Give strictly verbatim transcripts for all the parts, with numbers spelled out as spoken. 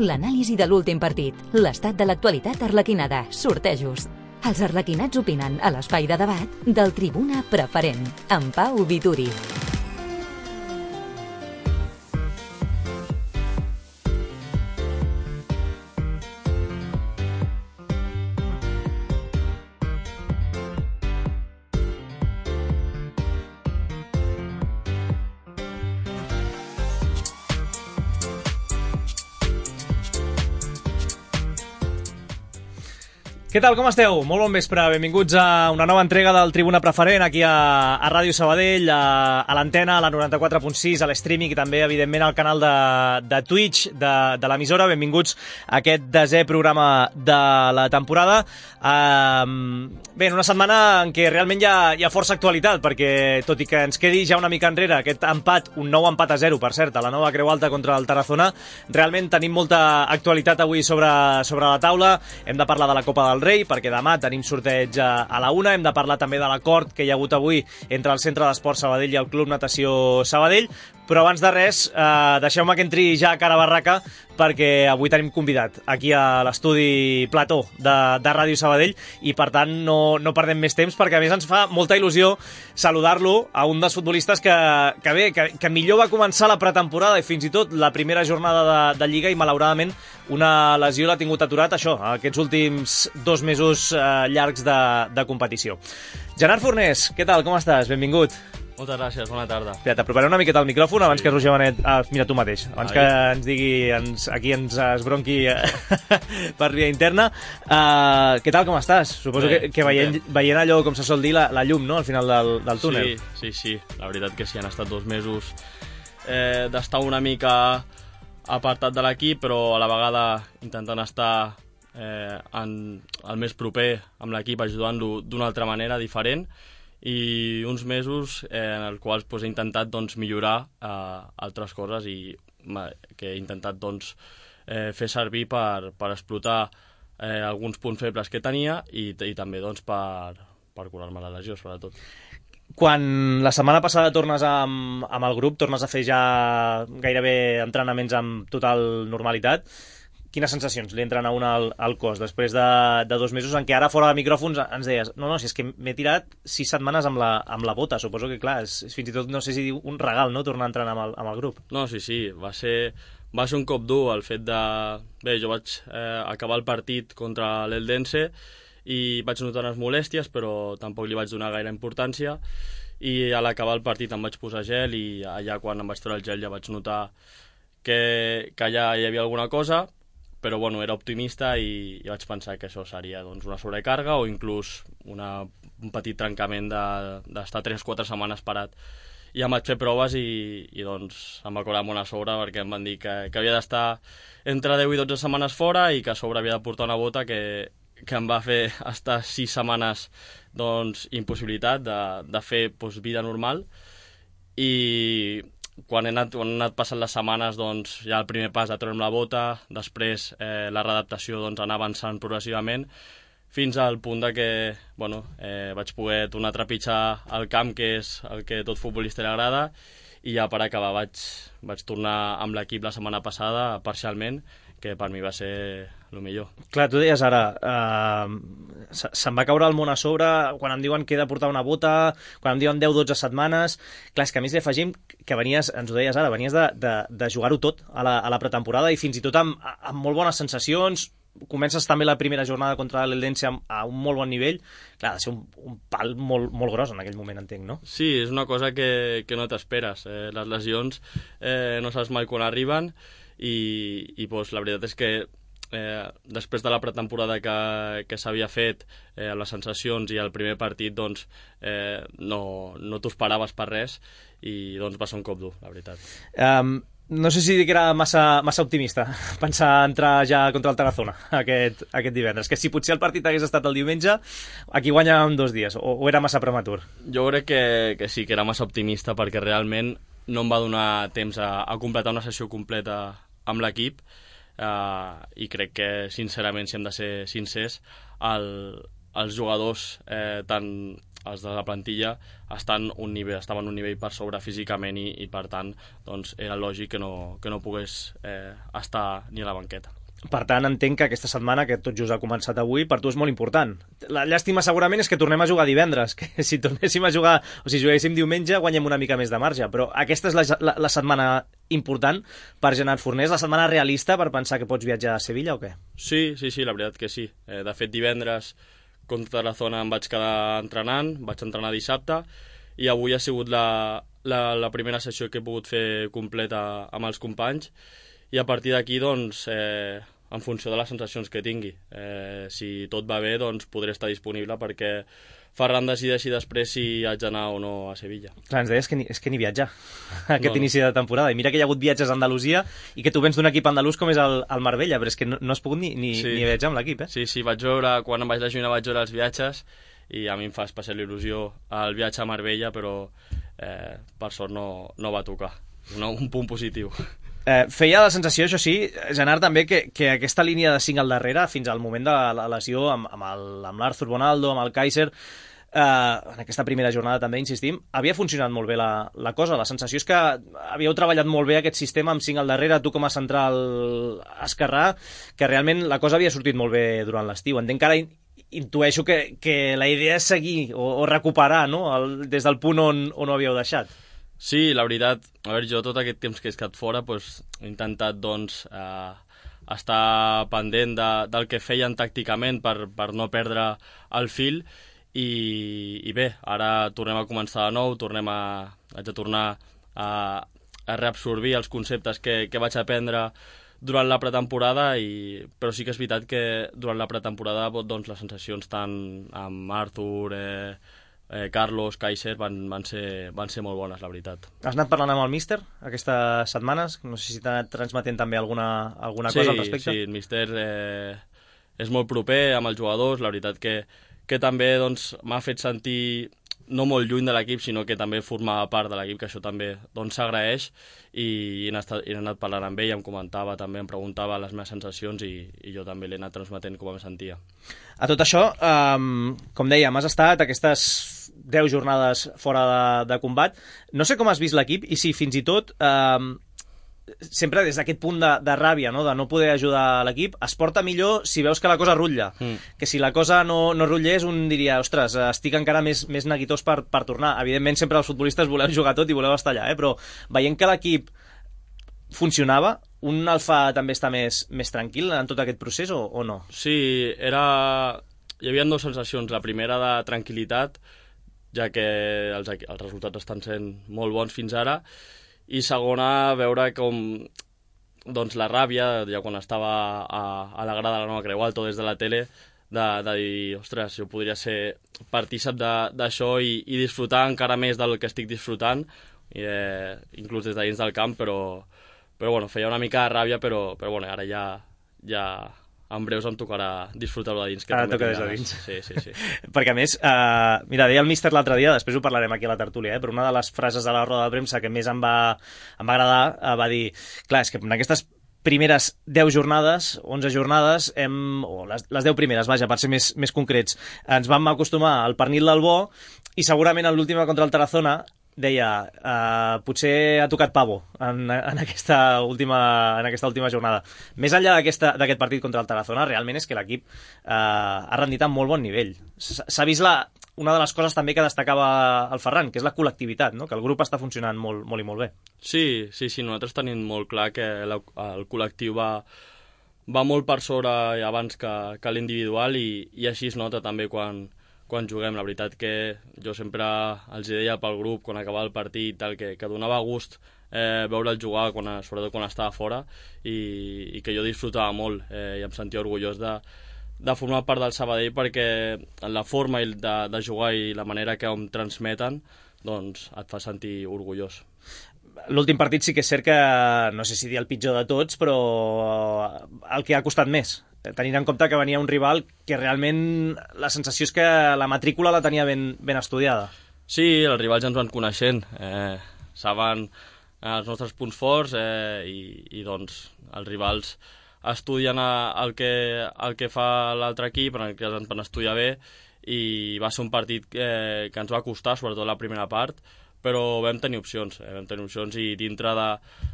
L'anàlisi de l'últim partit, l'estat de l'actualitat arlequinada, sortejos. Els arlequinats opinen a l'espai de debat del Tribuna Preferent, amb Pau Vituri. Què tal, com esteu? Molt bon vespre, benvinguts a una nova entrega del Tribuna Preferent aquí a, a Ràdio Sabadell, a, a l'antena, a la noranta-quatre punt sis, a l'streaming i també, evidentment, al canal de, de Twitch de, de l'emissora. Benvinguts a aquest desè programa de la temporada. Um, bé, en una setmana en què realment hi ha, hi ha força actualitat, perquè tot i que ens quedi ja una mica enrere aquest empat, un nou empat a zero, per cert, a la nova Creu Alta contra el Tarazona, realment tenim molta actualitat avui sobre, sobre la taula. Hem de parlar de la Copa del Rei, perquè demà tenim sorteig a, a la una. Hem de parlar també de l'acord que hi ha hagut avui entre el Centre d'Esport Sabadell i el Club Natació Sabadell. Però abans de res, eh, deixeu-me que entri ja a cara barraca, perquè avui tenim convidat aquí a l'estudi Plató de, de Ràdio Sabadell i, per tant, no, no perdem més temps, perquè a més ens fa molta il·lusió saludar-lo, a un dels futbolistes que, que bé, que, que millor va començar la pretemporada i fins i tot la primera jornada de, de Lliga, i malauradament una lesió l'ha tingut aturat, això, aquests últims dos mesos eh, llargs de, de competició. Gerard Fornés, què tal, com estàs? Benvingut. Moltes gràcies, bona tarda. Espera, t'aproparé una miqueta al micròfon abans sí. que Roger Benet... Ah, mira tu mateix, abans Ai. que ens digui, ens, aquí ens esbronqui per via interna. Uh, què tal, com estàs? Suposo bé, que, que veient, veient allò, com se sol dir, la, la llum, no?, al final del, del túnel. Sí, sí, sí. La veritat que sí, han estat dos mesos eh, d'estar una mica apartat de l'equip, però a la vegada intentant estar eh, en, el més proper amb l'equip, ajudant-lo d'una altra manera, diferent, i uns mesos eh, en els quals pues, he intentat doncs, millorar eh, altres coses i que he intentat doncs, eh, fer servir per, per explotar eh, alguns punts febles que tenia i, i també doncs, per, per curar-me la lesió, sobretot. Quan la setmana passada tornes amb, amb el grup, tornes a fer ja gairebé entrenaments amb total normalitat, quines sensacions li entren a una al, al cos després de, de dos mesos en què ara fora de micròfons ens deies no, no, si és que m'he tirat sis setmanes amb la, amb la bota, suposo que clar, és, és fins i tot no sé si diu un regal, no?, tornar a entrenar amb el, amb el grup. No, sí, sí, va ser, va ser un cop dur el fet de... Bé, jo vaig eh, acabar el partit contra l'Eldense i vaig notar unes molèsties, però tampoc li vaig donar gaire importància, i a l'acabar el partit em vaig posar gel i allà quan em vaig treure el gel ja vaig notar que, que allà hi havia alguna cosa, però bueno, era optimista i, i vaig pensar que això seria doncs, una sobrecàrrega o inclús una, un petit trencament d'estar de, tres o quatre setmanes parat. I em vaig fer proves i, i doncs, em va cobrar bona sobre perquè em van dir que, que havia d'estar entre deu i dotze setmanes fora i que a sobre havia de portar una bota que, que em va fer estar sis setmanes doncs, impossibilitat de, de fer doncs, vida normal. I quan he anat, quan he anat passant les setmanes, doncs, ja el primer pas de treure'm la bota, després eh, la readaptació doncs, anar avançant progressivament, fins al punt de que bueno, eh, vaig poder tornar a trepitjar el camp, que és el que a tot futbolista li agrada, i ja per acabar vaig, vaig tornar amb l'equip la setmana passada, parcialment, que per mi va ser el millor. Clar, tu deies ara, eh, se'm va caure el món a sobre quan em diuen que he de portar una bota, quan em diuen deu dotze setmanes. Clar, és que a més li afegim que venies, ens ho deies ara, venies de, de, de jugar-ho tot a la, a la pretemporada i fins i tot amb, amb molt bones sensacions. Comences també la primera jornada contra l'Eldense a un molt bon nivell. Clar, ha de ser un, un pal molt, molt gros en aquell moment, entenc, no? Sí, és una cosa que, que no t'esperes. Eh, les lesions eh, no saps mai quan arriben i, i doncs, la veritat és que eh, després de la pretemporada que, que s'havia fet, eh, les sensacions i el primer partit, doncs, eh, no, no t'ho esperaves per res i doncs, va ser un cop dur, la veritat. Um, no sé si que era massa, massa optimista pensar entrar ja contra el Tarazona aquest, aquest divendres, que si potser el partit hagués estat el diumenge, aquí guanyàvem dos dies, o, o era massa prematur? Jo crec que, que sí, que era massa optimista, perquè realment no em va donar temps a, a completar una sessió completa amb l'equip, uh, i crec que, sincerament, si hem de ser sincers, el, els jugadors, eh, tant els de la plantilla estan un nivell, estaven un nivell per sobre físicament i, i per tant doncs, era lògic que no, que no pogués eh, estar ni a la banqueta. Per tant, entenc que aquesta setmana, que tot just ha començat avui, per tu és molt important. La llàstima segurament és que tornem a jugar divendres, que si tornéssim a jugar, o si juguéssim diumenge, guanyem una mica més de marge, però aquesta és la, la, la setmana important per Gerard Fornés, la setmana realista per pensar que pots viatjar a Sevilla o què? Sí, sí, sí, la veritat que sí. Eh, de fet, divendres contra la zona em vaig quedar entrenant, vaig entrenar dissabte, i avui ha sigut la, la, la primera sessió que he pogut fer completa amb els companys, i a partir d'aquí, doncs, eh, en funció de les sensacions que tingui. Eh, si tot va bé, doncs podré estar disponible perquè Ferran decideixi després si haig d'anar o no a Sevilla. Clar, ens deies que ni, és que ni viatjar aquest no, no. inici de temporada. I mira que hi ha hagut viatges a Andalusia i que tu vens d'un equip andalús com és el, el Marbella, però és que no, no has pogut ni, ni, sí. ni viatjar amb l'equip, eh? Sí, sí, vaig veure, quan em vaig lesionar vaig veure els viatges i a mi em fa especial il·lusió el viatge a Marbella, però eh, per sort no, no va tocar. No, un punt positiu. Eh, feia la sensació, això sí, Gerard, també, que, que aquesta línia de cinc al darrere, fins al moment de la lesió amb, amb l'Arthur Bonaldo, amb el Kaiser, eh, en aquesta primera jornada també, insistim, havia funcionat molt bé la, la cosa. La sensació és que havíeu treballat molt bé aquest sistema amb cinc al darrere, tu com a central esquerrà, que realment la cosa havia sortit molt bé durant l'estiu. Entenc que ara intueixo que, que la idea és seguir o, o recuperar, no?, el, des del punt on, on ho havíeu deixat. Sí, la veritat, a veure, jo tot aquest temps que he estat fora pues, he intentat doncs, eh, estar pendent de, del que feien tàcticament per, per no perdre el fil i, i bé, ara tornem a començar de nou, tornem a, haig de tornar a, a reabsorbir els conceptes que, que vaig aprendre durant la pretemporada, i, però sí que és veritat que durant la pretemporada doncs, les sensacions tant amb Arthur, eh, Eh, Carlos, Kaiser van, van, ser, van ser molt bones, la veritat. Has anat parlant amb el míster aquestes setmanes? No sé si t'ha anat transmetent també alguna, alguna sí, cosa al respecte. Sí, el míster eh, és molt proper amb els jugadors, la veritat que, que també doncs, m'ha fet sentir no molt lluny de l'equip, sinó que també formava part de l'equip, que això també doncs, s'agraeix, i he anat, he anat parlant amb ell, em comentava també, em preguntava les meves sensacions, i, i jo també l'he anat transmetent com em sentia. A tot això, um, com dèiem, has estat aquestes deu jornades fora de, de combat. No sé com has vist l'equip i si fins i tot, um, sempre des d'aquest punt de, de ràbia, no?, de no poder ajudar l'equip, es porta millor si veus que la cosa rutlla. Mm. Que si la cosa no, no rutllés, un diria, ostres, estic encara més, més neguitós per, per tornar. Evidentment, sempre els futbolistes voleu jugar tot i voleu estar allà, eh? Però veient que l'equip funcionava, un el fa també estar més, més tranquil en tot aquest procés o, o no? Sí, era... hi havia dues sensacions. La primera de tranquil·litat, ja que els, els resultats estan sent molt bons fins ara, i segona, veure com doncs, la ràbia, ja quan estava a, a la grada de la Nova Creu Alta o des de la tele, de, de dir, ostres, jo podria ser partícip d'això i, i disfrutar encara més del que estic disfrutant, i, eh, inclús des de dins del camp, però, però bueno, feia una mica de ràbia, però, però bueno, ara ja, ja en breus em tocarà disfrutar-ho de dins. Que ara toca des de dins. Sí, sí, sí. Perquè a més, eh, mira, deia el míster l'altre dia, després ho parlarem aquí a la tertúlia, eh, però una de les frases de la roda de premsa que més em va, em va agradar, eh, va dir, clar, és que en aquestes primeres deu jornades, onze jornades, hem, o les, les deu primeres, vaja, per ser més, més concrets, ens vam acostumar al pernil del bo, i segurament en l'última contra el Tarazona deia, uh, potser ha tocat pavo en, en, aquesta última, en aquesta última jornada. Més enllà d'aquest partit contra el Tarazona, realment és que l'equip uh, ha rendit a molt bon nivell. S'ha vist la, una de les coses també que destacava el Ferran, que és la col·lectivitat, no?, que el grup està funcionant molt, molt i molt bé. Sí, sí, sí, nosaltres tenim molt clar que la, el col·lectiu va, va molt per sobre abans que, que l'individual, i, i així es nota també quan quan juguem. La veritat que jo sempre els deia pel grup, quan acabava el partit, tal, que, que donava gust eh, veure'l jugar, quan, sobretot quan estava fora, i, i que jo disfrutava molt, eh, i em sentia orgullós de, de formar part del Sabadell, perquè la forma de, de jugar i la manera que em transmeten doncs et fa sentir orgullós. L'últim partit sí que és cert que, no sé si dir el pitjor de tots, però el que ha costat més, tenint en compte que venia un rival que realment la sensació és que la matrícula la tenia ben, ben estudiada. Sí, els rivals ja ens van coneixent, eh, saben els nostres punts forts, eh, i, i doncs els rivals estudien el que, el que fa l'altre equip, en el que ens van estudiar bé, i va ser un partit que, que ens va costar, sobretot la primera part, però vam tenir opcions, eh, vam tenir opcions i dintre de,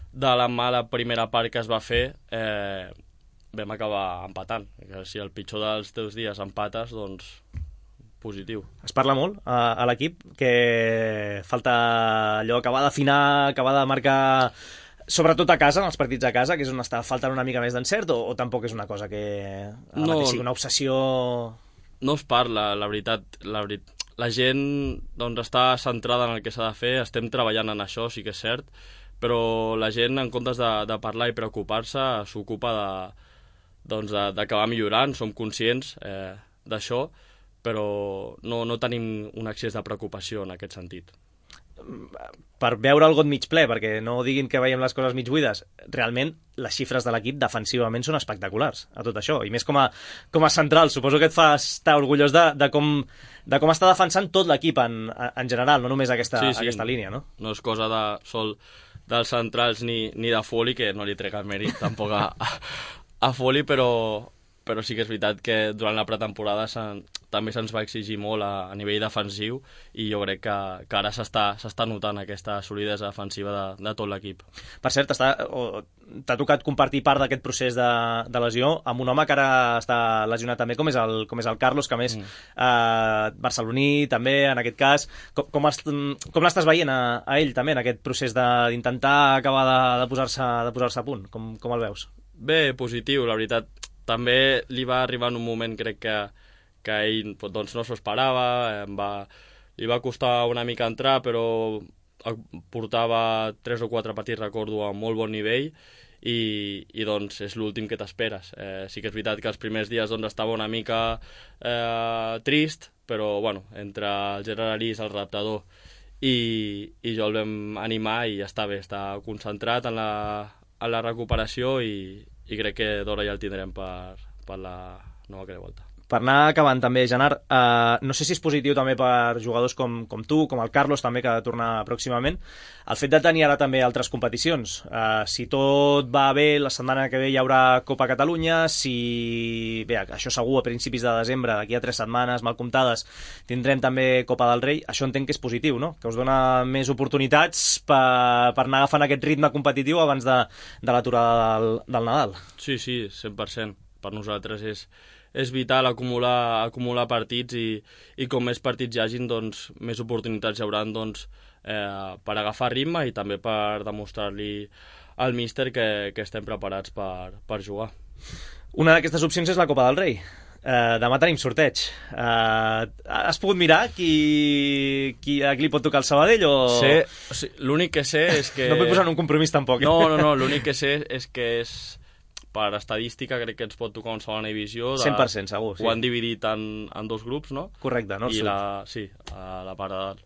de la mala primera part que es va fer eh, vam acabar empatant. Si el pitjor dels teus dies empates, doncs positiu. Es parla molt a, a l'equip que falta allò, acabar d'afinar, acabar de marcar, sobretot a casa, en els partits a casa, que és on està faltant una mica més d'encert, o, o tampoc és una cosa que ara no, mateix sigui una obsessió... No es parla, la veritat, la, veri... la gent doncs, està centrada en el que s'ha de fer, estem treballant en això, sí que és cert, però la gent, en comptes de, de parlar i preocupar-se, s'ocupa de, doncs, de, d'acabar millorant, som conscients eh, d'això, però no, no tenim un excés de preocupació en aquest sentit. Per veure el got mig ple, perquè no diguin que veiem les coses mig buides, realment les xifres de l'equip defensivament són espectaculars a tot això, i més com a, com a central. Suposo que et fa estar orgullós de, de, com, de com està defensant tot l'equip en, en general, no només aquesta, sí, sí. aquesta línia, no? No és cosa de sol dels centrals ni, ni de Foley, que no li trec el mèrit tampoc a, a Foley, però, però sí que és veritat que durant la pretemporada també se'ns va exigir molt a, a nivell defensiu, i jo crec que, que ara s'està notant aquesta solidesa defensiva de, de tot l'equip. Per cert, t'ha tocat compartir part d'aquest procés de, de lesió amb un home que ara està lesionat també, com és el, com és el Carlos, que a més mm. eh, barceloní també, en aquest cas. Com, com, com l'estàs veient a, a ell també en aquest procés d'intentar acabar de, de posar-se de posar-se a punt? Com, com el veus? Bé, positiu, la veritat. També li va arribar en un moment, crec que que ell doncs, no s'ho esperava, va, li va costar una mica entrar, però portava tres o quatre partits, recordo, a molt bon nivell, i, i doncs és l'últim que t'esperes. Eh, sí que és veritat que els primers dies doncs, estava una mica eh, trist, però bueno, entre el Gerard Arís, el redactador, i, i jo el vam animar, i ja està bé, està concentrat en la, en la recuperació, i, i crec que d'hora ja el tindrem per, per la nova que volta. Per anar acabant també, Gerard, eh, no sé si és positiu també per jugadors com, com tu, com el Carlos també, que ha de tornar pròximament, el fet de tenir ara també altres competicions. Eh, si tot va bé, la setmana que ve hi haurà Copa Catalunya, si... Bé, això segur, a principis de desembre, d'aquí a tres setmanes, mal comptades, tindrem també Copa del Rei. Això entenc que és positiu, no? Que us dona més oportunitats per, per anar agafant aquest ritme competitiu abans de, de l'aturada del, del Nadal. Sí, sí, cent per cent. Per nosaltres és... és vital acumular, acumular partits, i, i com més partits hi hagin, doncs, més oportunitats hi haurà doncs, eh, per agafar ritme, i també per demostrar-li al míster que, que estem preparats per, per jugar. Una d'aquestes opcions és la Copa del Rei. Eh, demà tenim sorteig. Eh, has pogut mirar qui, qui, a qui li pot tocar el Sabadell? O... Sé, o sigui, l'únic que sé és que... No vull posar en un compromís tampoc. No, no, no, l'únic que sé és que és... per estadística crec que ens pot tocar una segona divisió. De... cent per cent segur, sí. Ho han dividit en, en dos grups, no? Correcte, nord-sud. I la, sí, a la part de dalt.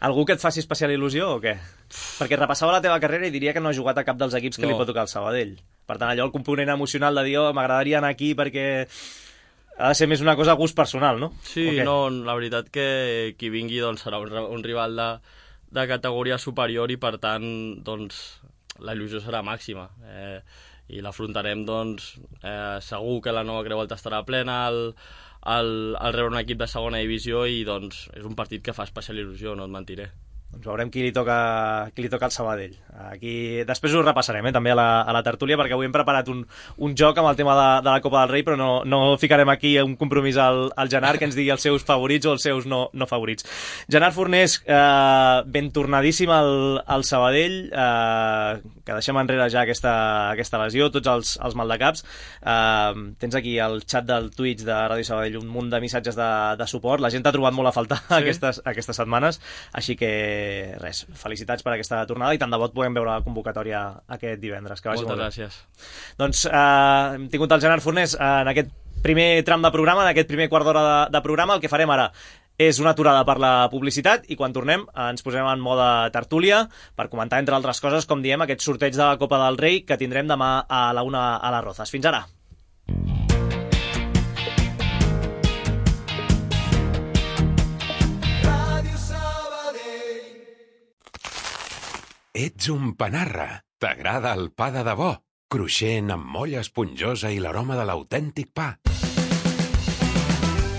Algú que et faci especial il·lusió o què? Perquè repassava la teva carrera i diria que no has jugat a cap dels equips que no li pot tocar el Sabadell. Per tant, allò, el component emocional de dir, oh, m'agradaria anar aquí perquè ha de ser més una cosa a gust personal, no? Sí, no, la veritat que qui vingui doncs, serà un, un rival de, de categoria superior, i per tant doncs, la il·lusió serà màxima. Eh, i l'afrontarem, doncs, eh, segur que la nova Creu Alta estarà plena al, al, al rebre un equip de segona divisió, i doncs és un partit que fa especial il·lusió, no et mentiré. Doncs veurem qui li toca, qui li toca al Sabadell. Aquí... Després ho repassarem, eh, també a la, a la tertúlia, perquè avui hem preparat un, un joc amb el tema de, de la Copa del Rei, però no, no ficarem aquí un compromís al, al Gerard, que ens digui els seus favorits o els seus no, no favorits. Gerard Fornés, eh, ben tornadíssim al, al Sabadell, eh, que deixem enrere ja aquesta, aquesta lesió, tots els, els maldecaps. Eh, tens aquí al xat del Twitch de Ràdio Sabadell un munt de missatges de, de suport. La gent t'ha trobat molt a faltar sí. aquestes, aquestes setmanes, així que res, felicitats per aquesta tornada, i tant de bo podem veure la convocatòria aquest divendres. Que vagi Moltes molt gràcies. Doncs eh, hem tingut el Gerard Fornés en aquest primer tram de programa, en aquest primer quart d'hora de, de programa. El que farem ara és una aturada per la publicitat, i quan tornem ens posem en mode tertúlia per comentar, entre altres coses, com diem, aquest sorteig de la Copa del Rei que tindrem demà a la una a les Rozas. Fins ara. Ets un panarra. T'agrada el pa de debò? Cruixent, amb molla esponjosa i l'aroma de l'autèntic pa.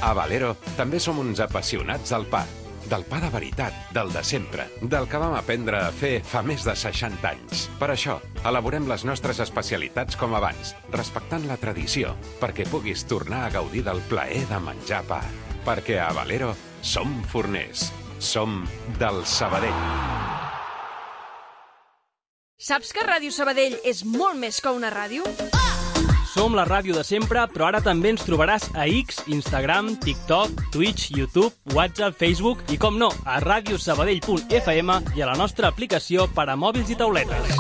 A Valero també som uns apassionats del pa. Del pa de veritat, del de sempre, del que vam aprendre a fer fa més de seixanta anys. Per això, elaborem les nostres especialitats com abans, respectant la tradició, perquè puguis tornar a gaudir del plaer de menjar pa. Perquè a Valero som forners. Som del Sabadell. Saps que Ràdio Sabadell és molt més que una ràdio? Som la ràdio de sempre, però ara també ens trobaràs a X, Instagram, TikTok, Twitch, YouTube, WhatsApp, Facebook i, com no, a radiosabadell punt f m i a la nostra aplicació per a mòbils i tauletes.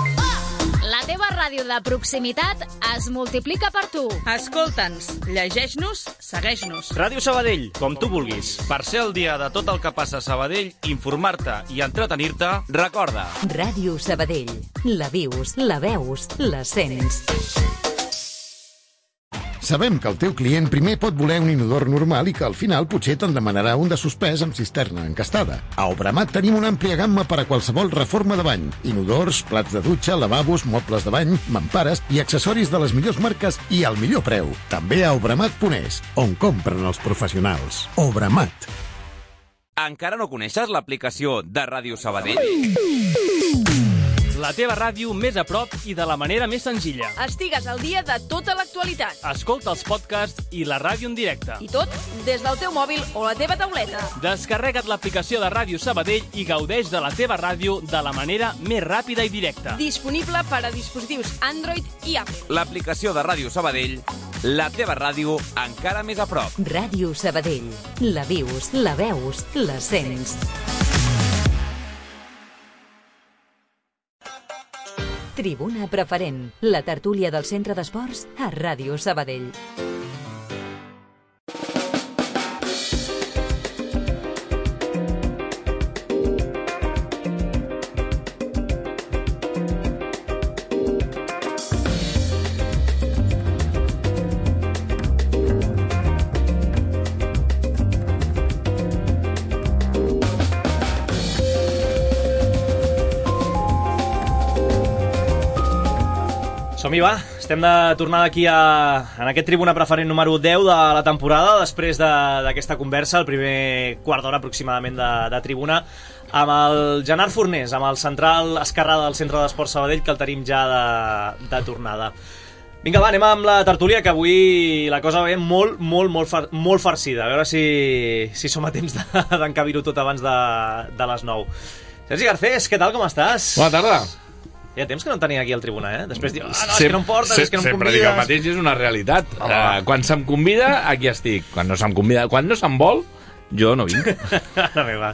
La teva ràdio de proximitat es multiplica per tu. Escolta'ns, llegeix-nos, segueix-nos. Ràdio Sabadell, com tu vulguis. Per ser el dia de tot el que passa a Sabadell, informar-te i entretenir-te, recorda. Ràdio Sabadell. La vius, la veus, la sents. Sabem que el teu client primer pot voler un inodor normal i que al final potser te'n demanarà un de suspès amb cisterna encastada. A Obramat tenim una àmplia gamma per a qualsevol reforma de bany. Inodors, plats de dutxa, lavabos, mobles de bany, mampares i accessoris de les millors marques i al millor preu. També a obramat punt es, on compren els professionals. Obramat. Encara no coneixes l'aplicació de Ràdio Sabadell? La teva ràdio més a prop i de la manera més senzilla. Estigues al dia de tota l'actualitat. Escolta els podcasts i la ràdio en directe. I tot des del teu mòbil o la teva tauleta. Descarrega't l'aplicació de Ràdio Sabadell i gaudeix de la teva ràdio de la manera més ràpida i directa. Disponible per a dispositius Android i Apple. L'aplicació de Ràdio Sabadell, la teva ràdio encara més a prop. Ràdio Sabadell. La vius, la veus, la sents. Tribuna Preferent, la tertúlia del Centre d'Esports a Ràdio Sabadell. Som-hi, va. Estem de tornada aquí a, en aquest Tribuna Preferent número deu de la temporada, després d'aquesta de, conversa, el primer quart d'hora aproximadament de, de Tribuna, amb el Gerard Fornés, amb el central esquerrà del Centre d'Esports Sabadell, que el tenim ja de, de tornada. Vinga, va, anem amb la tertúlia, que avui la cosa ve molt, molt, molt, far, molt farcida. A veure si, si som a temps d'encabir-ho tot abans de, de les nou. Sergi Garcés, què tal, com estàs? Bona tarda. Hi ha temps que no en tenia aquí al Tribuna, eh? Després diu, ah, no, Sem és que no em portes, és que no em sempre convides. dic el mateix, és una realitat. Uh, quan se'm convida, aquí estic. Quan no se'm convida, quan no se'm vol, jo no vinc. La meva.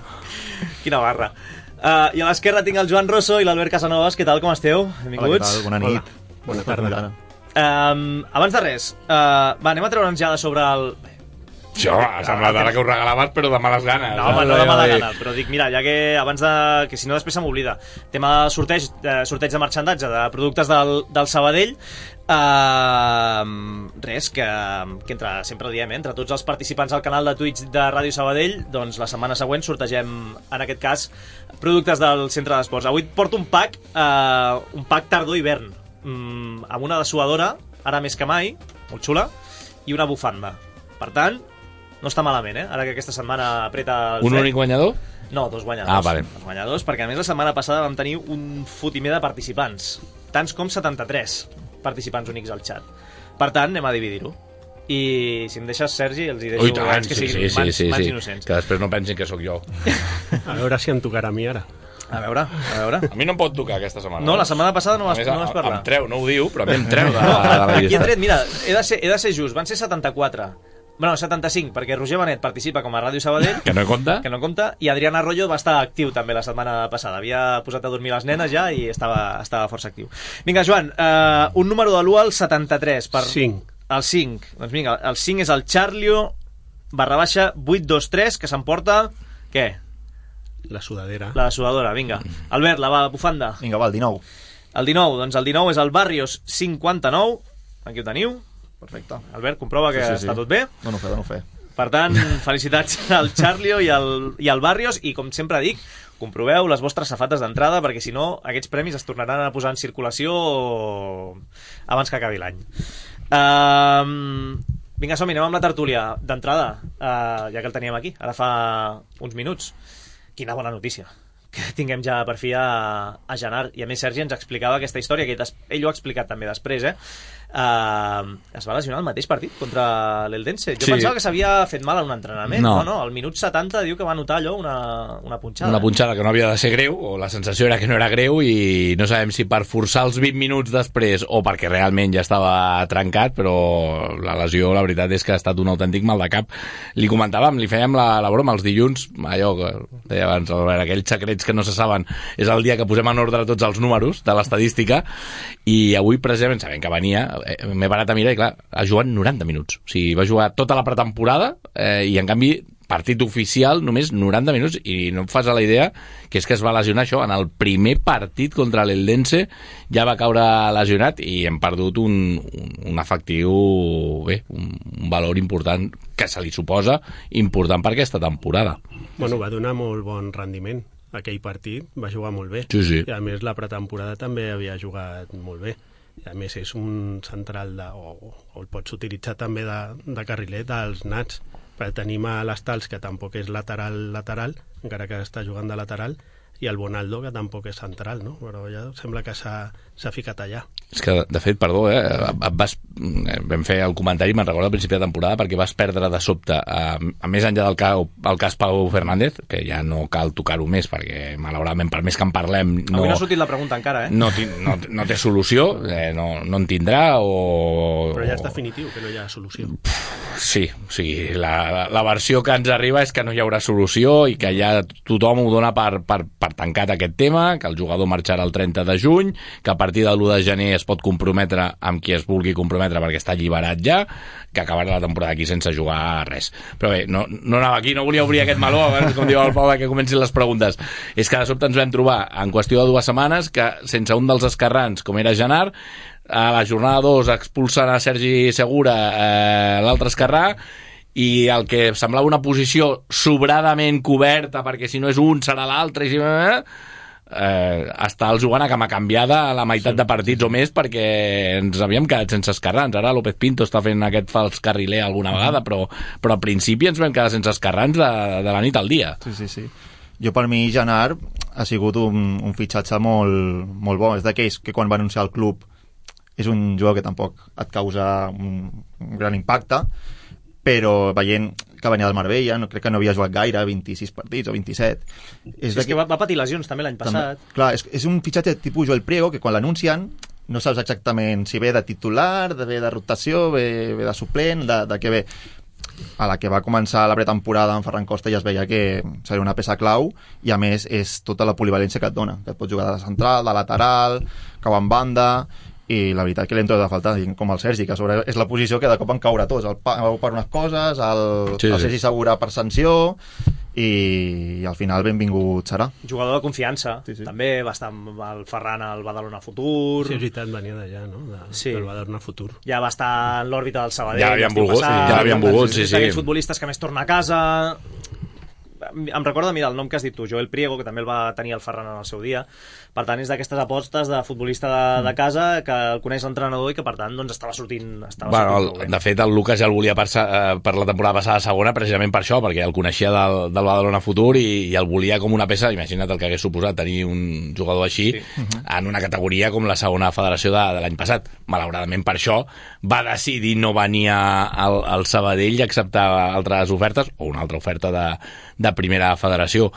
Quina barra. Uh, I a l'esquerra tinc el Joan Rosso i l'Albert Casanovas. Què tal, com esteu? Benvinguts. Hola, què tal? Bona nit. Hola. Bona tarda. Um, abans de res, uh, va, anem a treure'ns ja de sobre el... Això ha semblat ara que ho regalaves, però de males ganes. No, home, no de mala gana, però dic, mira, ja que abans de... que si no després se m'oblida. Tema de sorteig, de sorteig de marxandatge, de productes del, del Sabadell, uh, res, que, que entre, sempre ho diem, eh, entre tots els participants al canal de Twitch de Ràdio Sabadell, doncs la setmana següent sortegem, en aquest cas, productes del Centre d'Esports. Avui porto un pack, uh, un pack tardor-hivern, um, amb una dessuadora, ara més que mai, molt xula, i una bufanda. Per tant, no està malament, eh? Ara que aquesta setmana apreta el Un fred. únic guanyador? No, dos guanyadors. Ah, vale. Dos guanyadors, perquè a més la setmana passada vam tenir un fotimer de participants. Tants com setanta-tres participants únics al xat. Per tant, anem a dividir-ho. I si em deixes, Sergi, els hi deixo Ui, tant, abans que sí, siguin sí, mans, sí, mans sí. innocents. Que després no pensin que sóc jo. A veure si em tocarà a mi ara. A veure, a veure. A mi no em pot tocar aquesta setmana. No, la setmana passada no vas, més, no vas parlar. Em treu, no ho diu, però a mi em treu de, de la Aquí he llista. tret, mira, he de ser, he de ser just, van ser setanta-quatre. Bueno, setanta-cinc, perquè Roger Benet participa com a Ràdio Sabadell. Que no compta. Que no compta. I Adrián Arroyo va estar actiu també la setmana passada. Havia posat a dormir les nenes ja i estava, estava força actiu. Vinga, Joan, uh, un número de l'u al setanta-tres. Per... cinc. El cinc. Doncs vinga, el cinc és el Charlio barra baixa vuit dos tres, que s'emporta... Què? La sudadera. La sudadora, vinga. Albert, la, la bufanda. Vinga, va, el dinou. El dinou, doncs el dinou és el Barrios cinquanta-nou. Aquí ho teniu. Perfecte. Albert, comprova que sí, sí, sí. està tot bé. Dono fe, dono fe. Per tant, felicitats al Charlio i al, i al Barrios, i com sempre dic, comproveu les vostres safates d'entrada, perquè si no, aquests premis es tornaran a posar en circulació abans que acabi l'any. Um, Vinga, som-hi, anem amb la tertúlia. D'entrada, uh, ja que el teníem aquí, ara fa uns minuts. Quina bona notícia que tinguem ja per fi a, a Genar. I a més Sergi ens explicava aquesta història, que ell ho ha explicat també després, eh? Uh, es va lesionar el mateix partit contra l'Eldense. Jo sí. pensava que s'havia fet mal en un entrenament. No. no, no, al minut setanta diu que va notar allò una, una punxada. Una punxada que no havia de ser greu, o la sensació era que no era greu, i no sabem si per forçar els vint minuts després o perquè realment ja estava trencat, però la lesió, la veritat és que ha estat un autèntic mal de cap. Li comentàvem, li fèiem la, la broma els dilluns, allò que deia abans, aquells secrets que no se saben, és el dia que posem en ordre tots els números de l'estadística, i avui precisament sabem que venia, m'he parat a mirar i clar, ha jugat noranta minuts, o sigui, va jugar tota la pretemporada eh, i en canvi partit oficial només noranta minuts, i no et fas a la idea que és que es va lesionar això en el primer partit contra l'Eldense, ja va caure lesionat i hem perdut un, un, un efectiu bé, un, un valor important que se li suposa important per aquesta temporada. Bueno, va donar molt bon rendiment aquell partit, va jugar molt bé, sí, sí. I a més la pretemporada també havia jugat molt bé, i a més és un central de, o, o el pots utilitzar també de, de carriler dels nats, perquè tenim a l'Estals, que tampoc és lateral lateral, encara que està jugant de lateral, i el Bonaldo, que tampoc és central, no? Però ja sembla que s'ha ficat allà. És que, de fet, perdó, eh? Vas, vam fer el comentari, me'n recordo al principi de temporada, perquè vas perdre de sobte, a, a més enllà del cas, el cas Pau Fernández, que ja no cal tocar-ho més, perquè, malauradament, per més que en parlem... No, avui no ha sortit la pregunta encara, eh? No, no, no té solució, eh, no, no en tindrà, o... Però ja és definitiu, que no hi ha solució. Sí, o sigui, la, la versió que ens arriba és que no hi haurà solució i que ja tothom ho dona per, per, per tancat aquest tema, que el jugador marxarà el trenta de juny, que a partir del l'u de gener es pot comprometre amb qui es vulgui comprometre perquè està alliberat ja, que acabarà la temporada aquí sense jugar res. Però bé, no, no anava aquí, no volia obrir aquest meló abans, com diu el Pau, que comencin les preguntes. És que de sobte ens vam trobar en qüestió de dues setmanes que sense un dels esquerrans, com era Genar, a la jornada dos expulsen a Sergi Segura, eh, l'altre esquerrà, i el que semblava una posició sobradament coberta, perquè si no és un serà l'altre, i si... Eh, està el jugant a cama canviada a la meitat sí, de partits sí. o més, perquè ens havíem quedat sense esquerrans. Ara López Pinto està fent aquest fals carriler alguna vegada, però, però al principi ens vam quedar sense esquerrans de, de la nit al dia. Sí, sí, sí. Jo per mi Genar ha sigut un, un fitxatge molt, molt bo. És d'aquells que quan va anunciar el club és un jugador que tampoc et causa un, un gran impacte, però veient que venia del Marbella, no, crec que no havia jugat gaire, vint-i-sis partits o vint-i-set. És, és que va, va patir lesions també l'any passat. També, clar, és, és un fitxatge tipus Joel Priego, que quan l'anuncien no saps exactament si ve de titular, de ve de rotació, ve, ve de suplent, de, de què ve. A la que va començar la pretemporada amb Ferran Costa ja es veia que seria una peça clau, i a més és tota la polivalència que et dona, que et pots jugar de central, de lateral, cau en banda, i la veritat que l'hem trobat de falta, com el Sergi, que a sobre és la posició que de cop en caure tots, el Pau per unes coses, el, sí, el Sergi Segura per sanció, i, i al final benvingut serà. Jugador de confiança, sí, sí. També va estar amb el Ferran al Badalona Futur. Sí, és veritat, venia d'allà, no? De, sí. Del Badalona Futur. Ja va estar en l'òrbita del Sabadell. Ja l'havien volgut, passat, sí, ja l'havien volgut, sí, sí. Aquells futbolistes que més torna a casa... Em recorda, mira, el nom que has dit tu, Joel Priego, que també el va tenir el Ferran en el seu dia. Per tant, és d'aquestes apostes de futbolista de, de casa que el coneix l'entrenador i que, per tant, doncs, estava sortint, estava bueno, sortint el, de fet, el Lucas ja el volia per, per la temporada passada segona, precisament per això, perquè el coneixia del, del Badalona Futur i, i el volia com una peça. Imagina't el que hagués suposat tenir un jugador així, sí. En una categoria com la segona federació de, de l'any passat. Malauradament, per això va decidir no venir al, al Sabadell i acceptar altres ofertes, o una altra oferta de, de primera federació.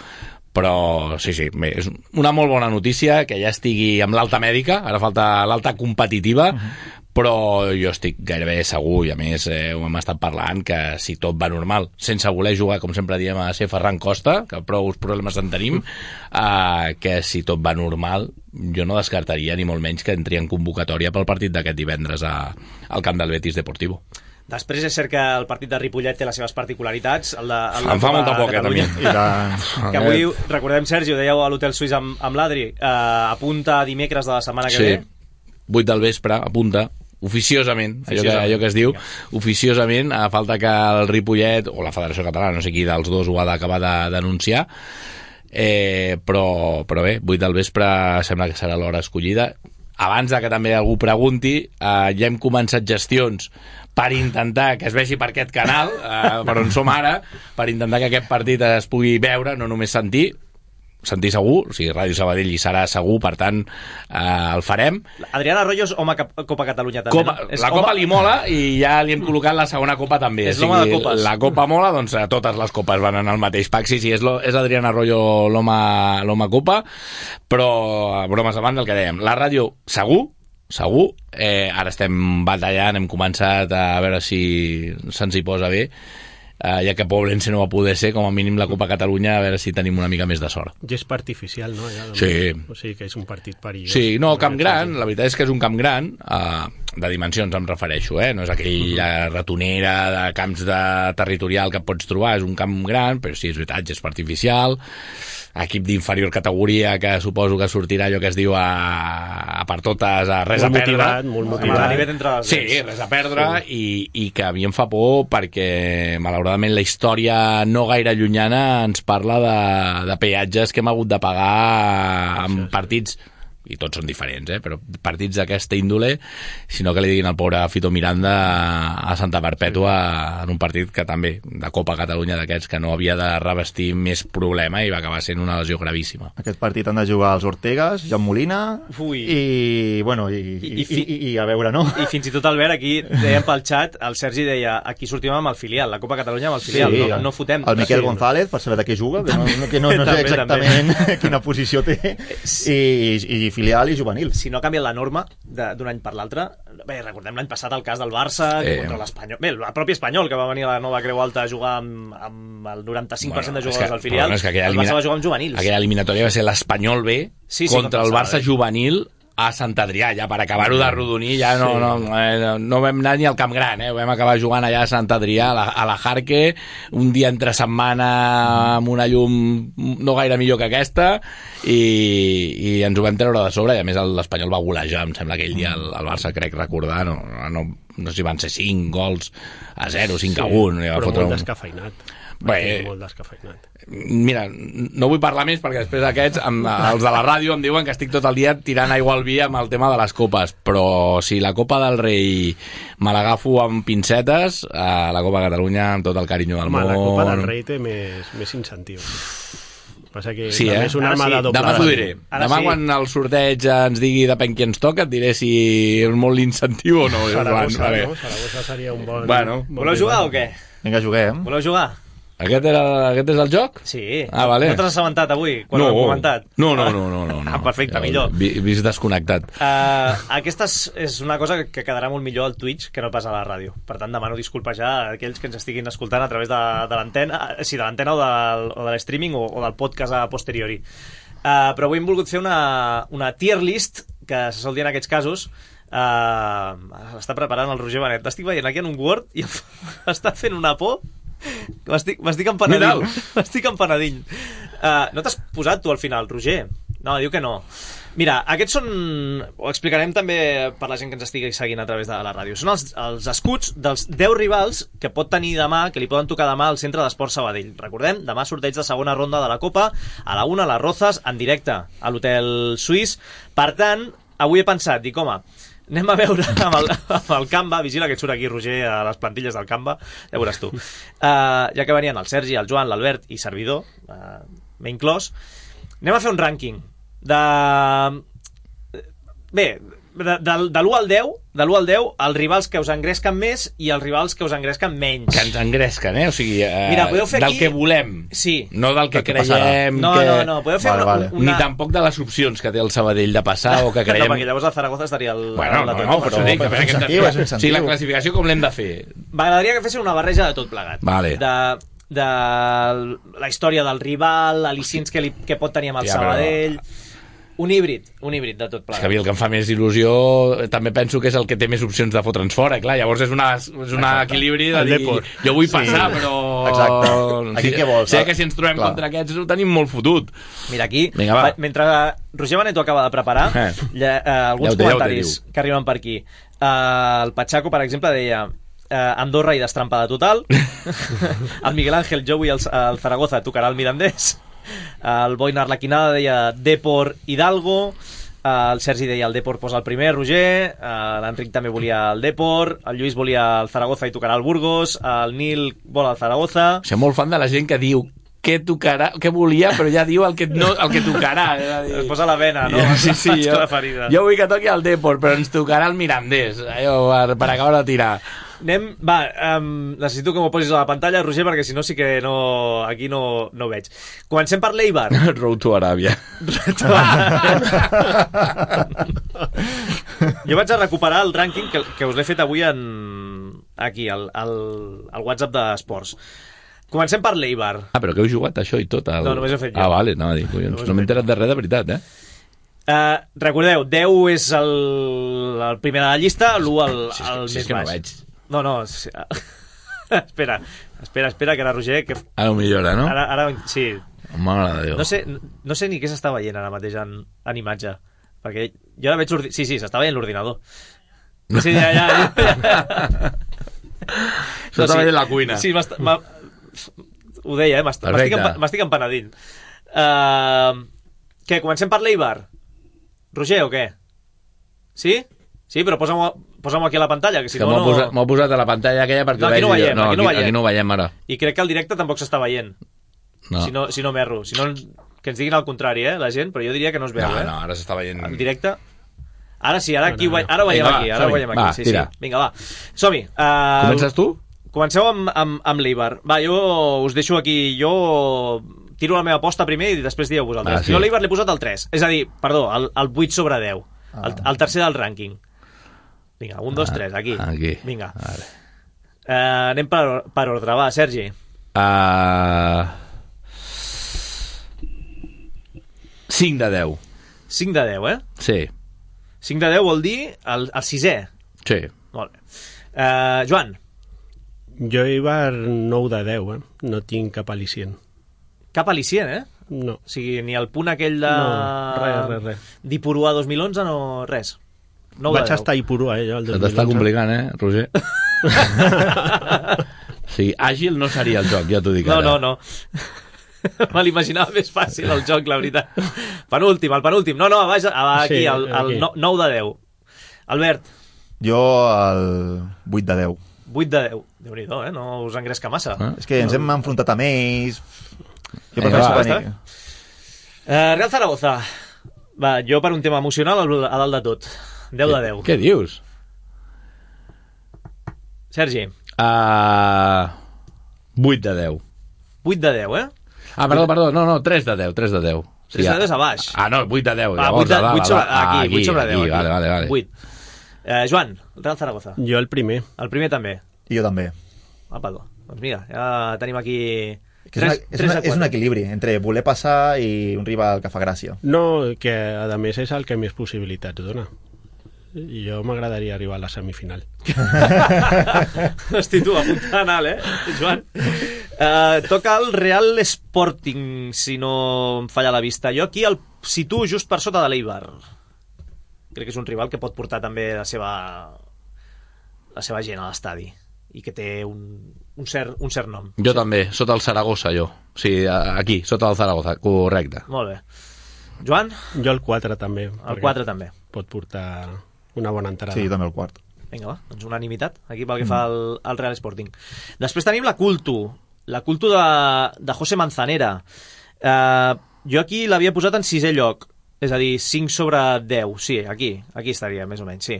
Però sí, sí, bé, és una molt bona notícia que ja estigui amb l'alta mèdica, ara falta l'alta competitiva, uh-huh. Però jo estic gairebé segur, i a més eh, ho hem estat parlant, que si tot va normal, sense voler jugar, com sempre diem, a ser Ferran Costa, que prou problemes en tenim, eh, que si tot va normal, jo no descartaria ni molt menys que entri en convocatòria pel partit d'aquest divendres a, al camp del Betis Deportivo. Després és cert que el partit de Ripollet té les seves particularitats. El de, el em fa molta por, que també. La... Que avui, recordem, Sergi, ho dèieu a l'Hotel Suís amb, amb l'Adri, eh, apunta dimecres de la setmana que sí. ve. vuit del vespre, apunta, oficiosament, allò que, allò que es diu, oficiosament, a falta que el Ripollet, o la Federació Catalana, no sé qui dels dos ho ha d'acabar d'anunciar, eh, però, però bé, vuit del vespre sembla que serà l'hora escollida. abans de que també algú pregunti, eh, ja hem començat gestions per intentar que es vegi per aquest canal, eh, per on som ara, per intentar que aquest partit es pugui veure, no només sentir, sentir segur, o sigui, Ràdio Sabadell hi serà segur, per tant, eh, el farem. Adrián Arroyo és home Copa Catalunya també, Copa, no? És la Copa home... li mola i ja li hem col·locat la segona Copa també. És o sigui, l'home de copes. La Copa mola, doncs totes les copes van en el mateix pack. Sí, sí, és, lo, és Adrián Arroyo l'home Copa, però bromes davant del que dèiem. La ràdio segur, segur, eh, ara estem batallant, hem començat a veure si se'ns hi posa bé, Uh, ja que Poblense no va poder ser, com a mínim la Copa Catalunya, a veure si tenim una mica més de sort. Gespa artificial, no? Ja, sí. O sigui que és un partit perillós. Sí, no, camp gran, la veritat és que és un camp gran, uh, de dimensions em refereixo, eh? No és aquella ratonera de camps de territorial que pots trobar, és un camp gran, però sí, és veritat, gespa artificial, equip d'inferior categoria que suposo que sortirà allò que es diu a, a per totes, a res molt a perdre. Motivat, molt motivat. Entre les sí, res a perdre, sí. i, i que a mi em fa por perquè malauradament la història no gaire llunyana ens parla de, de peatges que hem hagut de pagar en partits, i tots són diferents, eh? Però partits d'aquesta índole, sinó que li diguin al pobre Fito Miranda a Santa Perpètua en un partit que també, de Copa Catalunya d'aquests, que no havia de revestir més problema i va acabar sent una lesió gravíssima. Aquest partit han de jugar els Ortegas, Jan Molina, Ui. i, bueno, i, i, i, i, i, i a veure, no? I fins i tot, Albert, aquí dèiem pel xat, el Sergi deia, aquí sortim amb el filial, la Copa Catalunya amb el filial, sí, no, no fotem. El Miquel sí. González, per saber de què juga, que no, que no, no sé exactament quina posició té, i, i filial i juvenil. Si no ha canviat la norma d'un any per l'altre, bé, recordem l'any passat el cas del Barça eh. contra l'Espanyol, bé, el propi Espanyol que va venir a la nova Creu Alta a jugar amb, amb el noranta-cinc per cent bueno, de jugadors del filial, bueno, és que el elimina... Barça va jugar amb juvenils. Aquella eliminatòria va ser l'Espanyol B sí, sí, contra el Barça juvenil a Sant Adrià, ja per acabar-ho de rodonir, ja no, sí. no, eh, no vam anar ni al Camp Gran, eh? Vam acabar jugant allà a Sant Adrià, a la, a la Jarque, un dia entre setmana amb una llum no gaire millor que aquesta, i, i ens ho vam treure de sobre, i a més l'Espanyol va golejar, em sembla aquell dia el, el Barça, crec recordar, no, no, no sé si van ser cinc gols a zero, cinc a un. Sí, però molt un... descafeinat. Bé, molt descafeinat. Mira, no vull parlar més perquè després aquests, amb, els de la ràdio em diuen que estic tot el dia tirant aigua al vi amb el tema de les copes, però si la Copa del Rei me l'agafo amb pincetes, a la Copa Catalunya amb tot el carinyo del Home, món. La Copa del Rei té més, més incentius. Passa que sí, eh? és una arma sí. de doble. Demà t'ho diré. Ara Demà sí. quan el sorteig ens digui depèn qui ens toca, et diré si és molt l'incentiu o no. Saragossa, vale. no? Saragossa seria un bon... Bueno. bon Voleu jugar o què? Vinga, juguem. Voleu jugar? Aquest, era, aquest és el joc? Sí. Ah, vale. No t'has assabentat avui, quan no. ho hem comentat? No, no, no. no, no, no. Ah, perfecte, millor. Vist desconnectat. Uh, aquesta és, és una cosa que quedarà molt millor al Twitch que no pas a la ràdio. Per tant, demano disculpes ja a aquells que ens estiguin escoltant a través de, de l'antena, sí, de l'antena o, del, o de l'streaming o, o del podcast a posteriori. Uh, però avui hem volgut fer una, una tier list, que se sol dir en aquests casos. Uh, l'està preparant el Roger Benet. L'estic veient aquí en un Word i està fent una por. M'estic, m'estic empenedint. M'estic empenedint. Uh, no t'has posat tu al final, Roger? No, diu que no. Mira, aquests són... Ho explicarem també per la gent que ens estigui seguint a través de la ràdio. Són els, els escuts dels deu rivals que pot tenir demà, que li poden tocar demà al Centre d'Esport Sabadell. Recordem, demà sorteig de segona ronda de la Copa, a la una, a les Rozas, en directe a l'Hotel Suís. Per tant, avui he pensat, dic, home, anem a veure amb el, amb el Canva, vigila que et surt aquí, Roger, a les plantilles del Canva, ja veuràs tu. Uh, ja que venien el Sergi, el Joan, l'Albert i servidor, uh, m'he inclòs, anem a fer un rànquing de... Bé, de, de, de l'u al deu, de l'u al deu, els rivals que us engresquen més i els rivals que us engresquen menys. Que ens engresquen, eh? O sigui, eh, Mira, podeu fer del aquí... que volem. Sí. No del que creiem no, que... No, no, podeu fer vale, una, vale. una... Ni tampoc de les opcions que té el Sabadell de passar o que creiem... No, perquè llavors el Zaragoza estaria al... Bueno, al no, no, però... Dic, però és incentiu, és incentiu. O sigui, la classificació com l'hem de fer? M'agradaria que fessin una barreja de tot plegat. Vale. De, de la història del rival, al·licients que, li, que pot tenir amb el ja, Sabadell... Però... Un híbrid, un híbrid de tot plegat. És que a mi el que em fa més il·lusió també penso que és el que té més opcions de fotre'ns fora, clar, llavors és una, és una equilibri de dir, jo vull passar, sí. Però... Exacte. Aquí què vols? Sé que si ens trobem clar. Contra aquests ho tenim molt fotut. Mira, aquí, vinga, mentre Roger Benet ho acaba de preparar, eh. ja, eh, alguns ja té, comentaris ja que arriben per aquí. Uh, el Pachaco, per exemple, deia... Uh, Andorra i destrampada total. El Miguel Ángel, jo vull el, el Zaragoza, tocarà el Mirandés. El Boina Arlequinada deia Depor Hidalgo. el Sergi deia el Depor posa el primer, Roger, l'Enric també volia el Depor, el Lluís volia el Zaragoza i tocarà el Burgos, el Nil vol el Zaragoza... Soc molt fan de la gent que diu què tocarà, què volia, però ja diu el que, no, el que tocarà. Es posa la vena, no? Sí, sí, jo, jo, jo vull que toqui el Depor, però ens tocarà el Mirandés, allò, per, per acabar de tirar. Anem, va, um, necessito que m'ho posis a la pantalla, Roger, perquè si no sí que no, aquí no, no ho veig. Comencem per l'Eibar. Road to Aràbia. Jo vaig a recuperar el rànquing que, que us l'he fet avui en, aquí, al, al, al WhatsApp d'Esports. Comencem per l'Eibar. Ah, però que heu jugat això i tot? El... No, només he fet jo. Ah, vale, no, dic, collons, no, no m'he enterat de res de veritat, eh? Uh, recordeu, deu és el, el primer de la llista, l'u el, el sí, més sí, és que baix. no veig. No, no, sí. espera, espera, espera, que ara Roger... Que... Ara ho millora, no? Ara, ara sí. Mare de Déu. No sé, no sé ni què s'està veient ara mateix en, en imatge, perquè jo ara veig l'ordinador. Sí, sí, s'està veient l'ordinador. Sí, ja, ja. ja. S'està no, veient sí, la cuina. Sí, ho deia, eh? M'estic empenedint. Uh, què, comencem per l'Eibar? Roger, o què? Sí? Sí, però posa'm-ho posa'm aquí a la pantalla, que si que no... M'ho no... posat, posat a la pantalla aquella perquè no, aquí no veiem, no, aquí, no veiem. aquí no veiem ara. I crec que el directe tampoc s'està veient. No. Si no, si no m'erro. Si no, que ens diguin el contrari, eh, la gent, però jo diria que no es veu, no, eh? No, ara s'està veient... En directe... Ara sí, ara, aquí, no, no, no. ara ho veiem Vinga, aquí, ara ho veiem aquí. Va, sí, sí. Vinga, va. Som-hi. Uh, Comences tu? Comenceu amb, amb, amb l'Eibar. Va, jo us deixo aquí... Jo tiro la meva aposta primer i després dieu vosaltres. Ah, sí. Jo a l'Eibar l'he posat el tres. És a dir, perdó, el, el vuit sobre deu. Ah. El, el tercer del rànquing. Vinga, un, dos, tres, aquí. Aquí. Vinga. Vale. Uh, anem per, per ordre. Va, Sergi. Uh... cinc de deu. cinc de deu, eh? Sí. cinc de deu vol dir el, el sisè. Sí. Molt bé. Uh, Joan. Jo Eibar nou de deu, eh? No tinc cap al·licient. Cap al·licient, eh? No. O sigui, ni el punt aquell de... No, res, res, res. D'Ipurua dos mil onze, no, res. Vaig estar a Ipurua, eh, jo, el dos mil onze. T'està complicant, eh, Roger? Sí, àgil no seria el joc, ja t'ho dic no, ara. No, no, no. Me l'imaginava més fàcil, el joc, la veritat. Penúltim, el penúltim. No, no, vaja, aquí, sí, el, el aquí. nou de deu. Albert. Jo el vuit de deu. vuit de deu. Déu-n'hi-do, eh? No us engresca massa. Ah? És que ens hem enfrontat amb ells... Jo eh, va, va, uh, Real Zaragoza. Va, jo per un tema emocional a dalt de tot. deu de deu. Què dius? Sergi. Uh, vuit de deu. vuit de deu, eh? Ah, perdó, perdó, no, no, tres de deu, tres de deu. tres de deu és a baix. Ah, no, vuit de deu. Ah, vuit, de, vuit sobre, aquí, aquí, vuit sobre deu. Aquí, vale, vale, vale. vuit. Eh, Joan, Real Zaragoza. Jo el primer. El primer també. I jo també. Apa, doncs mira, ja tenim aquí... És, una, és, una, és un equilibri entre voler passar i un rival que fa gràcia. No, que a més és el que més possibilitats dona. I jo m'agradaria arribar a la semifinal. Hosti, tu, apuntant alt, eh, Joan? Uh, toca el Real Sporting, si no em falla la vista. Jo aquí el situo just per sota de l'Eibar. Crec que és un rival que pot portar també la seva, la seva gent a l'estadi i que té un, un, cert, un cert nom. Jo sí. També, sota el Saragossa, jo. O sigui, aquí, sota el Zaragoza, correcte. Molt bé. Joan? Jo el quatre també. El quatre també. Pot portar una bona entrada. Sí, també el quart. Vinga, va, doncs unanimitat aquí pel que mm. fa al, al Real Sporting. Després tenim la Cultu, la Cultu de, de José Manzanera. Uh, jo aquí l'havia posat en sisè lloc, és a dir, cinc sobre deu. Sí, aquí, aquí estaria, més o menys, sí.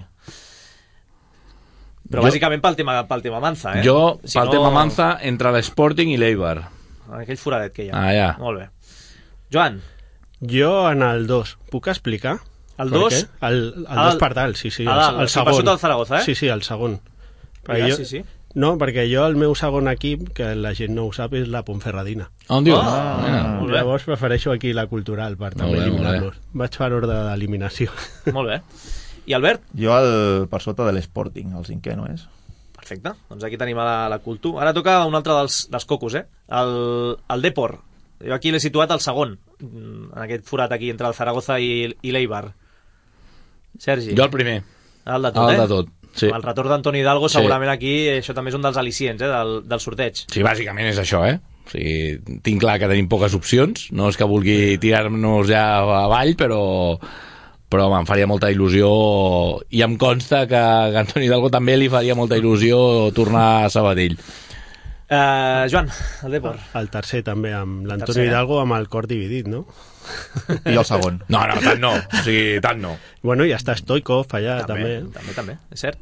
Però jo, bàsicament pel tema, pel tema Manza, eh? Jo, si pel no... tema Manza, entre l'Sporting i l'Eibar. Aquell foradet que hi ha. Ah, ja. Molt bé. Joan? Jo en el dos. Puc explicar? El dos? El, el dos per dalt, sí, sí. El, el, el segon. Per sota del Zaragoza, eh? Sí, sí, el segon. Ja, jo, sí, sí. No, perquè jo el meu segon equip, que la gent no ho sap, és la Ponferradina. On dius? Ah, ah, llavors prefereixo aquí la Cultural per també eliminar-los. Vaig per ordre d'eliminació. Molt bé. I Albert? Jo el, per sota de l'Sporting, el cinquè, no és? Perfecte, doncs aquí tenim a la, la Cultu. Ara toca un altre dels, dels cocos, eh? El, el Depor. Jo aquí l'he situat al segon, en aquest forat aquí entre el Zaragoza i, i l'Eibar. Sergi? Jo el primer. El de tot, el eh? de tot, sí. El retorn d'Antoni Hidalgo, segurament sí. Aquí això també és un dels al·licients, eh? Del, del sorteig. Sí, bàsicament és això, eh? O sigui, tinc clar que tenim poques opcions, no és que vulgui tirar-nos ja avall, però però em faria molta il·lusió, i em consta que a Antoni Hidalgo també li faria molta il·lusió tornar a Sabadell. Uh, Joan, el Depor. El tercer també, amb l'Antoni tercer, eh? Hidalgo amb el cor dividit, no? I el segon. No, no, tant no. O sigui, tant no. Bueno, i està Stoikov allà, també. També, també, també, és cert.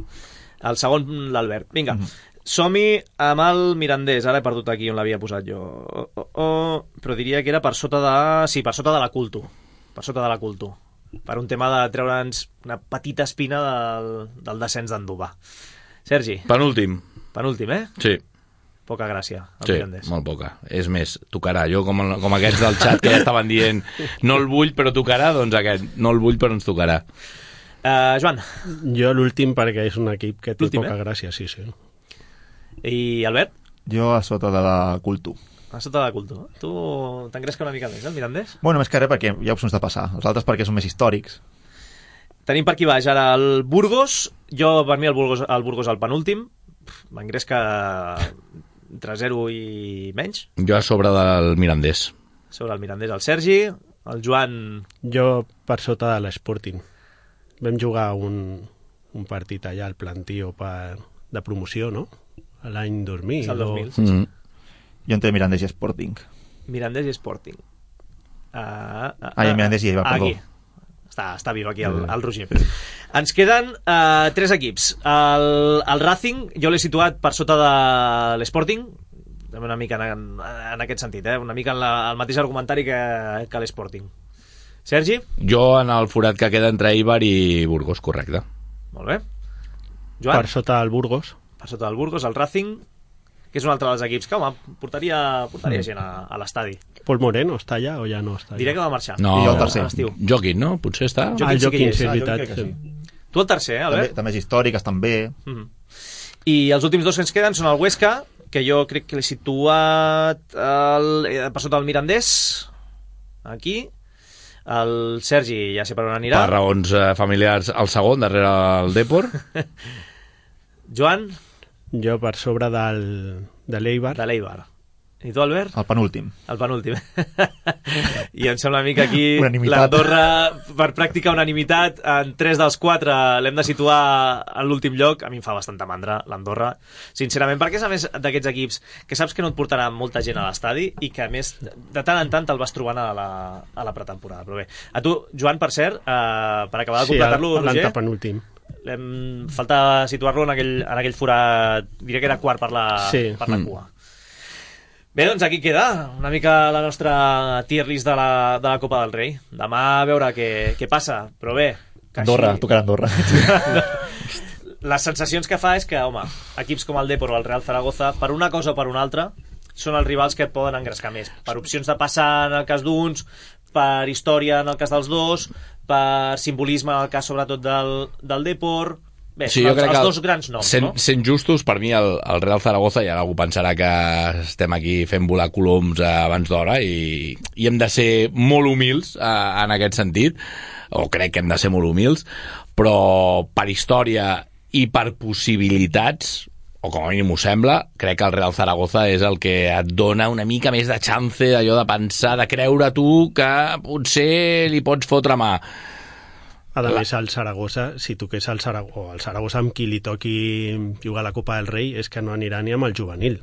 El segon, l'Albert. Vinga, mm-hmm. Som-hi amb el Mirandés. Ara he perdut aquí on l'havia posat jo. Oh, oh, oh. Però diria que era per sota de... Sí, per sota de la Culto. Per sota de la Culto. Per un tema de treure'ns una petita espina del, del descens d'Andúba. Sergi. Penúltim. Penúltim, eh? Sí. Poca gràcia, el sí, Mirandés. Molt poca. És més, tocarà. Jo, com, com aquests del xat que ja estaven dient no el vull però tocarà, doncs aquest, no el vull però ens tocarà. Uh, Joan. Jo l'últim perquè és un equip que té poca eh? gràcia, sí, sí. I Albert? Jo a sota de la Culto. A sota de la Culto. Tu t'engresca una mica més, eh, el Mirandés? Bueno, més que res perquè hi ha opcions de passar. Els altres perquè són més històrics. Tenim per aquí baix ara el Burgos. Jo, per mi, el Burgos, el Burgos el penúltim. M'engresca entre zero i menys. Jo a sobre del Mirandés. Sobre el Mirandés el Sergi, el Joan... Jo per sota de l'Sporting. Vam jugar un, un partit allà al Plantío per, de promoció, no? L'any dos mil. És el dos mil, o... sí, sí. Mm. Jo entre Mirandés i Sporting. Mirandés i Sporting. Uh, uh, Ai, Mirandés i Eibar, perdó. Aquí. Està, està viu aquí el, el Roger. Ens queden uh, tres equips. El, el Racing, jo l'he situat per sota de l'Sporting, una mica en, en aquest sentit, eh? Una mica en la, el mateix argumentari que, que l'Sporting. Sergi? Jo en el forat que queda entre Eibar i Burgos, correcte. Molt bé. Joan? Per sota del Burgos. Per sota del Burgos, el Racing, que és un altre dels equips que, home, portaria, portaria gent a, a l'estadi. Pol Moreno està allà o ja no està allà? Diré que va marxar. No, I jo el tercer. Joaquín, no? Potser està? Ah, el Joaquín, sí, és ah, veritat. sí. Tu el tercer, eh, Albert? També, també és històric, estan bé. Mm-hmm. I els últims dos que ens queden són el Huesca, que jo crec que l'he situat el, per sota del Mirandés, aquí. El Sergi ja sé per on anirà. Per raons eh, familiars, el segon, darrere el Depor. Joan? Jo per sobre del, de l'Eibar. De l'Eibar. I tu, Albert? El penúltim. El penúltim. I em sembla a mi que aquí unanimitat. l'Andorra, per pràctica unanimitat, en tres dels quatre l'hem de situar en l'últim lloc. A mi em fa bastanta mandra l'Andorra, sincerament, perquè és a més d'aquests equips que saps que no et portarà molta gent a l'estadi i que a més de tant en tant te'l vas trobant a la, a la pretemporada. Però bé, a tu, Joan, per cert, eh, per acabar de completar-lo, sí, Roger, l'antepenúltim. falta situar-lo en aquell, en aquell forat, diré que era quart per la, sí. per la cua. Bé, doncs aquí queda una mica la nostra tier list de la, de la Copa del Rei. Demà a veure què, què passa, però bé... Andorra, així... tocarà Andorra. Les sensacions que fa és que, home, equips com el Depor o el Real Zaragoza, per una cosa o per una altra, són els rivals que et poden engrescar més. Per opcions de passar en el cas d'uns, per història en el cas dels dos, per simbolisme en el cas sobretot del, del Depor... Bé, sí, els, els els dos grans noms, sent, no? Sent justos, per mi el, el Real Zaragoza, i ara algú pensarà que estem aquí fent volar coloms abans d'hora i, i hem de ser molt humils eh, en aquest sentit, o crec que hem de ser molt humils, però per història i per possibilitats, o com a mínim ho sembla, crec que el Real Zaragoza és el que et dona una mica més de chance d'allò de pensar, de creure tu que potser li pots fotre mà. A més, el Saragossa, si toqués el Saragossa, el Saragossa amb qui li toqui jugar a la Copa del Rei, és que no anirà ni amb el juvenil.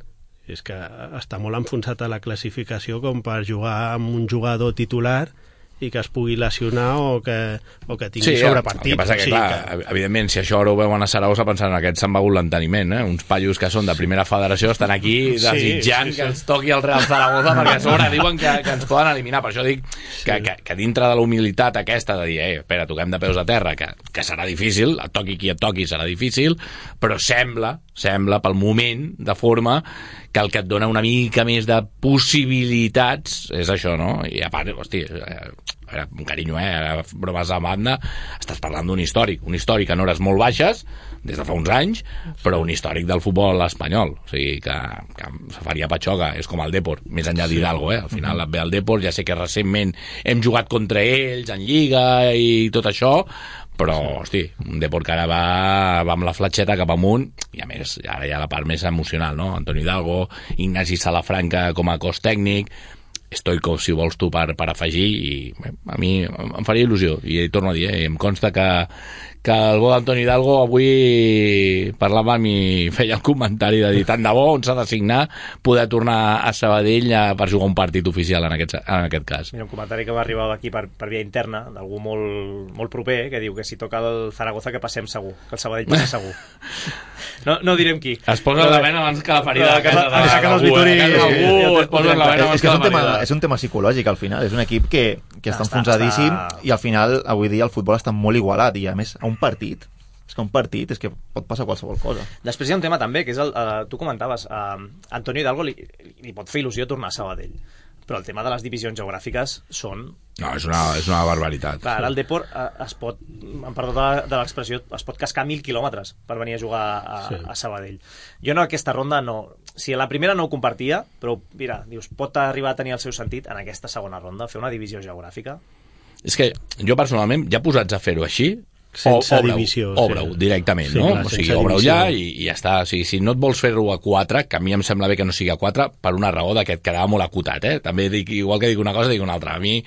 És que està molt enfonsat a la classificació com per jugar amb un jugador titular i que es pugui lesionar o que, o que tingui sí, sobrepartit. El que passa que, sí, clar, que... evidentment, si això ara ho veuen a Saragossa pensant que aquests s'han begut l'enteniment, eh? Uns paios que són de primera federació estan aquí desitjant sí, sí, sí. que ens toqui el Real Zaragoza perquè a sobre diuen que, que ens poden eliminar. Per això dic sí. que, que, que dintre de la humilitat aquesta de dir, eh, espera, toquem de peus a terra, que, que serà difícil, et toqui qui et toqui serà difícil, però sembla, sembla pel moment de forma que el que et dona una mica més de possibilitats és això, no? I a part, hosti, eh, amb carinyo, eh, bromes a banda, estàs parlant d'un històric, un històric en hores molt baixes, des de fa uns anys, però un històric del futbol espanyol, o sigui, que, que faria patxoca, és com el Depor, més enllà d'Hidalgo, eh? Al final et ve el Depor, ja sé que recentment hem jugat contra ells en Lliga i tot això, però, hosti, un Depor que ara va, va amb la fletxeta cap amunt, i a més, ara hi ha la part més emocional, no? Antoni Hidalgo, Ignasi Salafranca com a cos tècnic, Stoikov, si vols tu, per, per afegir, i bé, a mi em faria il·lusió, i torno a dir, eh, em consta que, que el bo d'Antoni Hidalgo avui parlava amb i feia el comentari de dir tant de bo on s'ha de signar poder tornar a Sabadell a, per jugar un partit oficial en aquest, en aquest cas. Mira, un comentari que m'ha arribat aquí per, per via interna d'algú molt, molt proper, que diu que si toca el Zaragoza que passem segur, que el Sabadell passa segur. No, no direm qui. Es posa la vena abans que la ferida de casa d'algú. Es posa la vena abans que la ferida. És un tema psicològic, al final. És un equip que, que està enfonsadíssim i al final, avui dia, el futbol està molt igualat i, a més, a un partit, és que un partit és que pot passar qualsevol cosa. Després hi ha un tema també, que és el, uh, tu comentaves, uh, Antonio Hidalgo li, li pot fer il·lusió tornar a Sabadell, però el tema de les divisions geogràfiques són... No, és una, és una barbaritat. Clar, ara el Depor uh, es pot, em perdó de, de l'expressió, es pot cascar mil quilòmetres per venir a jugar a, sí. a Sabadell. Jo no, aquesta ronda no... Si a la primera no ho compartia, però mira, dius, pot arribar a tenir el seu sentit en aquesta segona ronda, fer una divisió geogràfica. És que jo personalment, ja posats a fer-ho així, sense divisió, obre-ho directament, sí, no? clar, O sigui, obre-ho ja i, i ja està. O sigui, si no et vols fer-ho a quatre, que a mi em sembla bé que no sigui a quatre, per una raó de que et quedava molt acotat, eh? També dic, igual que dic una cosa, dic una altra. A mi,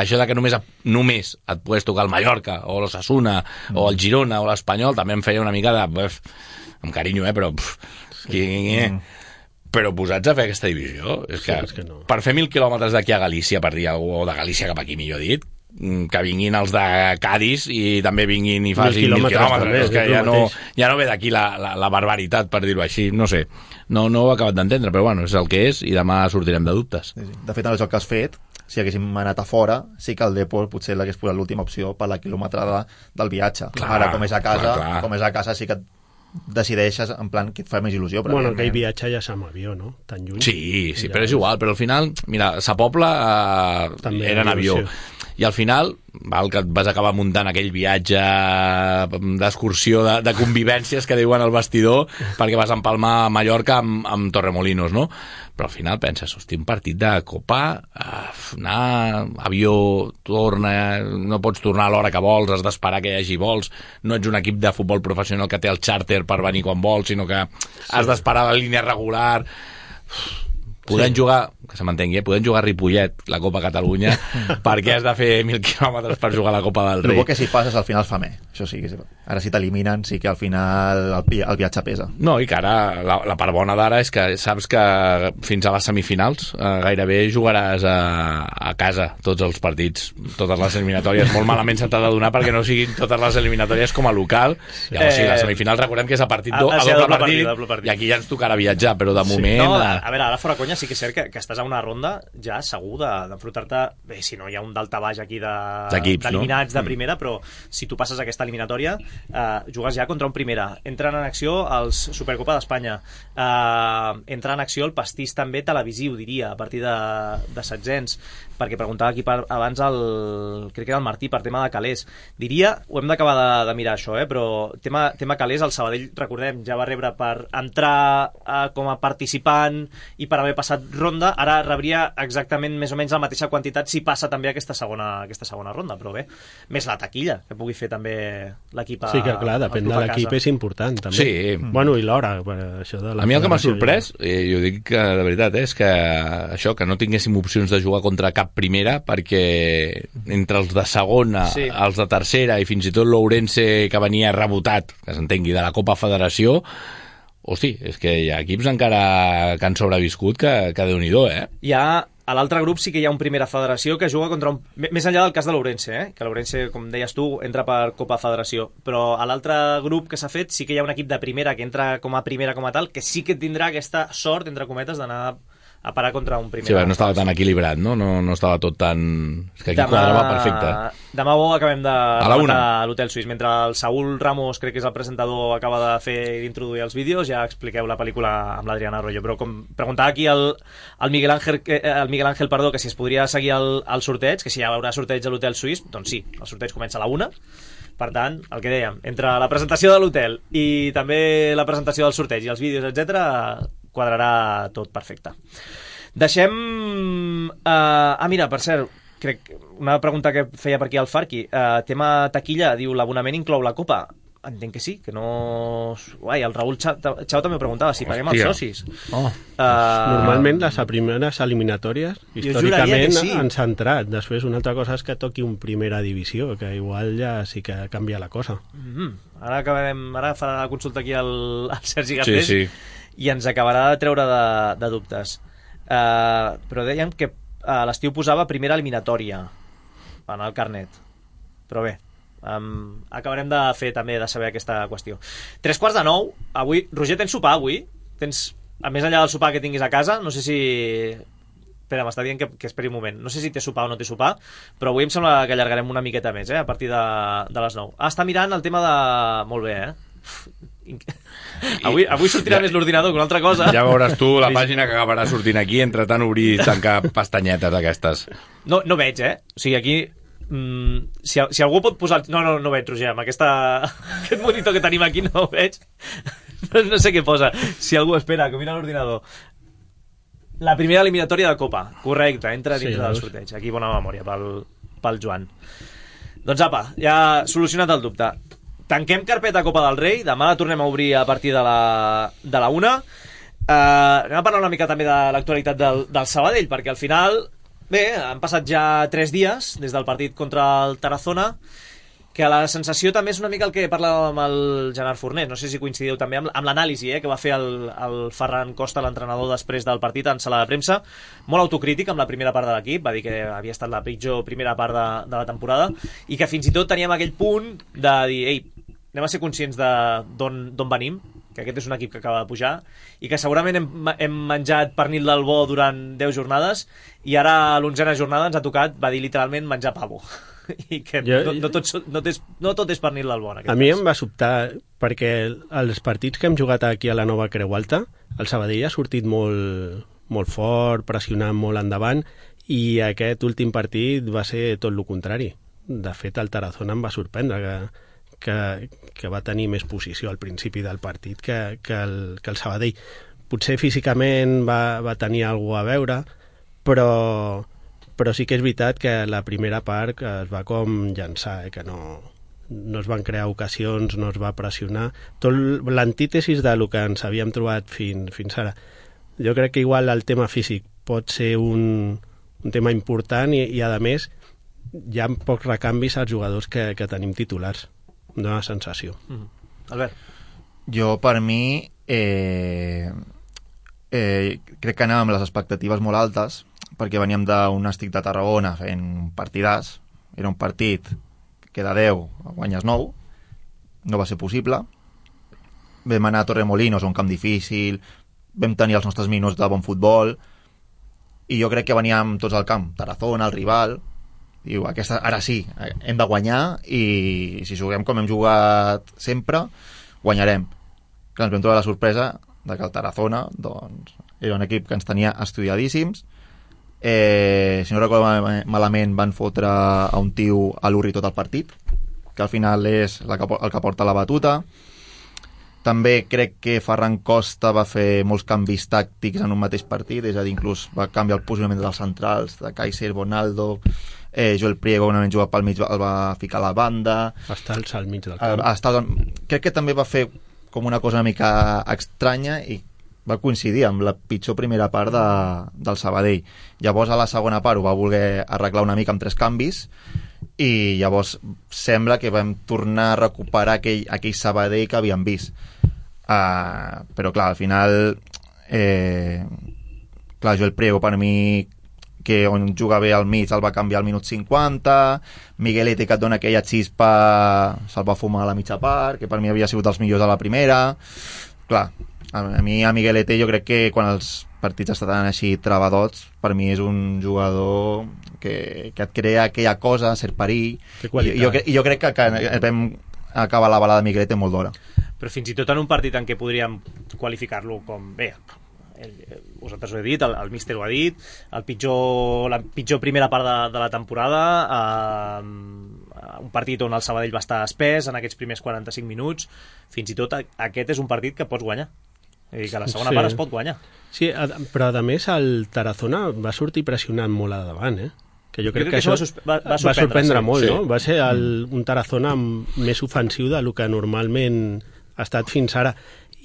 això de que només, només et podes tocar el Mallorca, o l'Osasuna, mm. o el Girona, o l'Espanyol, també em feia una mica de... Buf, amb carinyo, eh? Però... Puf, qui, mm. Però posats a fer aquesta divisió, és que, sí, és que no. Per fer mil quilòmetres d'aquí a Galícia, per dir alguna cosa, o de Galícia cap aquí, millor dit, que vinguin els de Cádiz i també vinguin i facin mil quilòmetres, també, és que ja no, ja no ve d'aquí la, la, la barbaritat, per dir-ho així, no sé, no, no ho he acabat d'entendre, però bueno, és el que és i demà sortirem de dubtes. Sí, sí. De fet, en el joc que has fet, si haguéssim anat a fora, sí que el Depor potser l'hagués posat l'última opció per la quilometrada del viatge. Clar, ara, com és a casa, clar, clar. com és a casa sí que decideixes en plan que et fa més il·lusió. Bueno, aquell viatge ja s'ha amb avió, no? Tan lluny. Sí, sí, ja... però és igual, però al final, mira, Sa Pobla eh, era en avió. I al final, val, que et vas acabar muntant aquell viatge d'excursió, de, de convivències que diuen al vestidor, perquè vas empalmar a Mallorca amb, amb Torremolinos, no? Però al final penses, hosti, un partit de Copa, uh, anar, avió, torna, no pots tornar a l'hora que vols, has d'esperar que hi hagi vols, no ets un equip de futbol professional que té el xàrter per venir quan vols, sinó que has d'esperar la línia regular... Podem sí. jugar, que se m'entengui, eh? podem jugar a Ripollet, la Copa Catalunya, perquè has de fer mil quilòmetres per jugar a la Copa del Rei. El bo que si passes al final fa més. Això sí, ara si t'eliminen sí que al final el, el viatge pesa. No, i que ara la, la part bona d'ara és que saps que fins a les semifinals eh, gairebé jugaràs a, a casa tots els partits, totes les eliminatòries. Molt malament se t'ha de donar perquè no siguin totes les eliminatòries com a local. Llavors, eh, sí, les semifinals recordem que és a partit do, a, a, doble, doble, partit, doble partit, i aquí ja ens tocarà viatjar, però de moment... Sí. No, a, a veure, ara fora conya sí que és cert que, que estàs a una ronda ja segur d'enfrontar-te, bé, si no hi ha un daltabaix aquí d'eliminats de, no? de primera, però si tu passes aquesta eliminatòria eh, jugues ja contra un primera. Entren en acció els Supercopa d'Espanya, eh, entra en acció el pastís també televisiu, diria, a partir de, de setzents, perquè preguntava aquí per, abans el, crec que era el Martí, per tema de calés. Diria, ho hem d'acabar de, de mirar això, eh, però tema, tema calés, el Sabadell, recordem, ja va rebre per entrar eh, com a participant i per haver passat ronda, ara rebria exactament més o menys la mateixa quantitat si passa també aquesta segona, aquesta segona ronda, però bé, més la taquilla que pugui fer també l'equip a, sí que clar, depèn de l'equip, és important també. Sí. Bueno, i l'hora, això de la a mi el que m'ha sorprès, ja... i ho dic que de veritat, és que això, que no tinguéssim opcions de jugar contra cap primera, perquè entre els de segona, sí. els de tercera i fins i tot l'Ourense que venia rebotat, que s'entengui, de la Copa Federació, hosti, és que hi ha equips encara que han sobreviscut que, que Déu-n'hi-do, eh? Hi ha, a l'altre grup sí que hi ha un Primera Federació que juga contra un... Més enllà del cas de l'Ourense, eh? Que l'Ourense, com deies tu, entra per Copa Federació, però a l'altre grup que s'ha fet sí que hi ha un equip de primera que entra com a primera com a tal, que sí que tindrà aquesta sort, entre cometes, d'anar a parar contra un primer. Sí, no estava tan equilibrat, no? No, no estava tot tan... És que aquí demà, quadrava perfecte. Demà bo acabem de a l'Hotel Suís. Mentre el Saúl Ramos, crec que és el presentador, acaba de fer i d'introduir els vídeos, ja expliqueu la pel·lícula amb l'Adriana Arroyo. Però com preguntava aquí el, el, Miguel Ángel, el Miguel Ángel perdó, que si es podria seguir el, el sorteig, que si hi haurà sorteig a l'Hotel Suís, doncs sí, el sorteig comença a la una. Per tant, el que dèiem, entre la presentació de l'hotel i també la presentació del sorteig i els vídeos, etcètera, quadrarà tot perfecte. Deixem... Uh, ah, mira, per cert, crec una pregunta que feia per aquí el Farqui. Uh, tema taquilla, diu, l'abonament inclou la Copa. entenc que sí, que no... Uai, el Raül Chau, Chau també ho preguntava, si paguem els socis. Oh. Uh... Normalment les primeres eliminatòries històricament sí. han centrat. Després una altra cosa és que toqui un primera divisió, que igual ja sí que canvia la cosa. Mm-hmm. Ara acabarem, ara farà la consulta aquí al, al Sergi Garcés sí, sí. i ens acabarà de treure de, de dubtes. Uh, però dèiem que a l'estiu posava primera eliminatòria en el carnet. Però bé, um, acabarem de fer també de saber aquesta qüestió. Tres quarts de nou, avui... Roger, tens sopar avui? Tens, a més enllà del sopar que tinguis a casa, no sé si... Espera, m'està dient que, que esperi un moment. No sé si té sopar o no té sopar, però avui em sembla que allargarem una miqueta més, eh? A partir de, de les nou. Ah, està mirant el tema de... Molt bé, eh? Avui, avui sortirà ja, més l'ordinador que una altra cosa. Ja veuràs tu la pàgina que acabarà sortint aquí, entre tant obrir i tancar pestanyetes aquestes. No, no veig, eh? O sigui, aquí... Mm, si, si algú pot posar... No, no, no veig, Roger, amb aquesta, aquest monitor que tenim aquí no ho veig. No sé què posa. Si algú espera, que mira l'ordinador. La primera eliminatòria de Copa. Correcte, entra dintre sí, del sorteig. Aquí bona memòria pel, pel Joan. Doncs apa, ja solucionat el dubte. Tanquem carpeta Copa del Rei. Demà la tornem a obrir a partir de la, de la una. Uh, anem a parlar una mica també de l'actualitat del, del Sabadell, perquè al final... Bé, han passat ja tres dies des del partit contra el Tarazona, que la sensació també és una mica el que parlàvem amb el Gerard Fornés, no sé si coincidiu també amb, amb l'anàlisi eh, que va fer el, el Ferran Costa, l'entrenador, després del partit en sala de premsa, molt autocrític amb la primera part de l'equip, va dir que havia estat la pitjor primera part de, de la temporada, i que fins i tot teníem aquell punt de dir, ei, anem a ser conscients d'on venim, que aquest és un equip que acaba de pujar i que segurament hem, hem menjat pernil del bo durant deu jornades i ara a l'onzena jornada ens ha tocat, va dir literalment, menjar pavo. I que jo, no, no, tot, no, tot és, no tot és pernil del bo. A mi cas. Em va sobtar perquè els partits que hem jugat aquí a la nova Creu Alta, el Sabadell ha sortit molt, molt fort, pressionant molt endavant, i aquest últim partit va ser tot el contrari. De fet, el Tarazona em va sorprendre que Que, que va tenir més posició al principi del partit que, que, el, que el Sabadell. Potser físicament va, va tenir alguna a veure, però, però sí que és veritat que la primera part es va com llançar, eh, que no, no es van crear ocasions, no es va pressionar. Tot l'antítesis del que ens havíem trobat fins, fins ara. Jo crec que igual el tema físic pot ser un, un tema important i, i a més hi ha pocs recanvis als jugadors que, que tenim titulars. Dóna sensació. Mm. Albert? Jo, per mi, eh, eh, crec que anàvem amb les expectatives molt altes, perquè veníem d'un Nàstic de Tarragona fent un partidàs. Era un partit que de deu guanyes nou. No va ser possible. Vam anar a Torremolinos, un camp difícil, vam tenir els nostres minuts de bon futbol, i jo crec que veníem tots al camp. Tarazona, el rival... Diu, aquesta, ara sí, hem de guanyar i si juguem com hem jugat sempre, guanyarem. Clar, ens vam trobar la sorpresa de que el Tarazona doncs, era un equip que ens tenia estudiadíssims. Eh, si no recordo malament, van fotre a un tio a l'Urri tot el partit, que al final és el que, el que porta la batuta. També crec que Ferran Costa va fer molts canvis tàctics en un mateix partit, és a dir, inclús va canviar el posicionament dels centrals, de Kaiser, Bonaldo... Eh, Joel Priego, quan juga pel mig, el va ficar a la banda. Està al mig del camp. Està, crec que també va fer com una cosa una mica estranya i va coincidir amb la pitjor primera part de, del Sabadell. Llavors, a la segona part ho va voler arreglar una mica amb tres canvis i llavors sembla que vam tornar a recuperar aquell, aquell Sabadell que havíem vist. Uh, però, clar, al final... Eh, clar, Joel Priego, per mi... que on juga bé al mig el va canviar al minut cinquanta, Miguelete, que et dona aquella xispa, se'l va fumar a la mitja part, que per mi havia sigut dels millors a la primera. Clar, a mi a Miguelete jo crec que quan els partits estan així travadots, per mi és un jugador que, que et crea aquella cosa, ser perill, i jo, i jo crec que, que vam acabar la balada de Miguelete molt d'hora. Però fins i tot en un partit en què podríem qualificar-lo com bé, el, vosaltres ho he dit, el, el míster ho ha dit, el pitjor, la pitjor primera part de, de la temporada, eh, un partit on el Sabadell va estar espès en aquests primers quaranta-cinc minuts, fins i tot aquest és un partit que pots guanyar, és a dir, que la segona sí. part es pot guanyar. Sí, però a més el Tarazona va sortir pressionant molt a davant, eh? que jo crec, jo crec que, que això va, va, va, va sorprendre sí. molt, sí. no? Va ser el, un Tarazona més ofensiu del que normalment ha estat fins ara,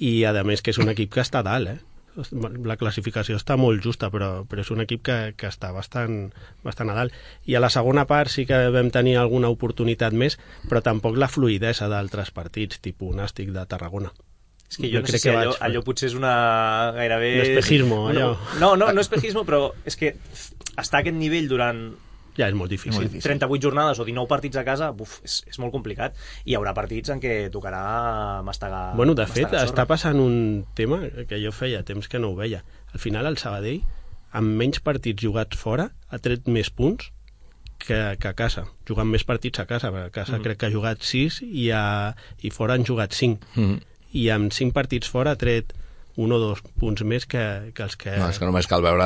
i a més que és un equip que està a dalt, eh? La classificació està molt justa, però, però és un equip que, que està bastant, bastant a dalt. I a la segona part sí que vam tenir alguna oportunitat més, però tampoc la fluïdesa d'altres partits, tipus Nàstic de Tarragona. És que jo, jo no sé si allò, vaig... allò potser és una gairebé... Un espejismo, allò. No, no, no espejismo, però és que estar a aquest nivell durant... Ja és molt difícil. Sí, trenta-vuit jornades o dinou partits a casa, buf, és, és molt complicat. I hi haurà partits en què tocarà mastegar... Bueno, de fet, està passant un tema que jo feia temps que no ho veia. Al final, el Sabadell, amb menys partits jugats fora, ha tret més punts que, que a casa. Jugant més partits a casa, perquè a casa mm. crec que ha jugat sis i, a, i fora han jugat cinc. Mm. I amb cinc partits fora ha tret un o dos punts més que, que els que... No, és que només cal veure...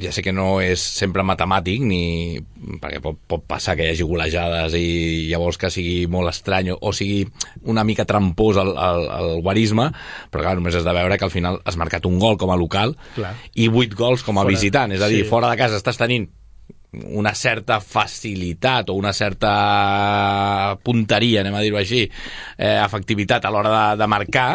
Ja sé que no és sempre matemàtic, ni perquè pot, pot passar que hi hagi golejades i llavors que sigui molt estrany o sigui una mica trampós el, el, el guarisme, però clar, només has de veure que al final has marcat un gol com a local clar. I vuit gols com a fora, visitant. És a dir, sí. Fora de casa estàs tenint una certa facilitat o una certa punteria, anem a dir-ho així, eh, efectivitat a l'hora de, de marcar,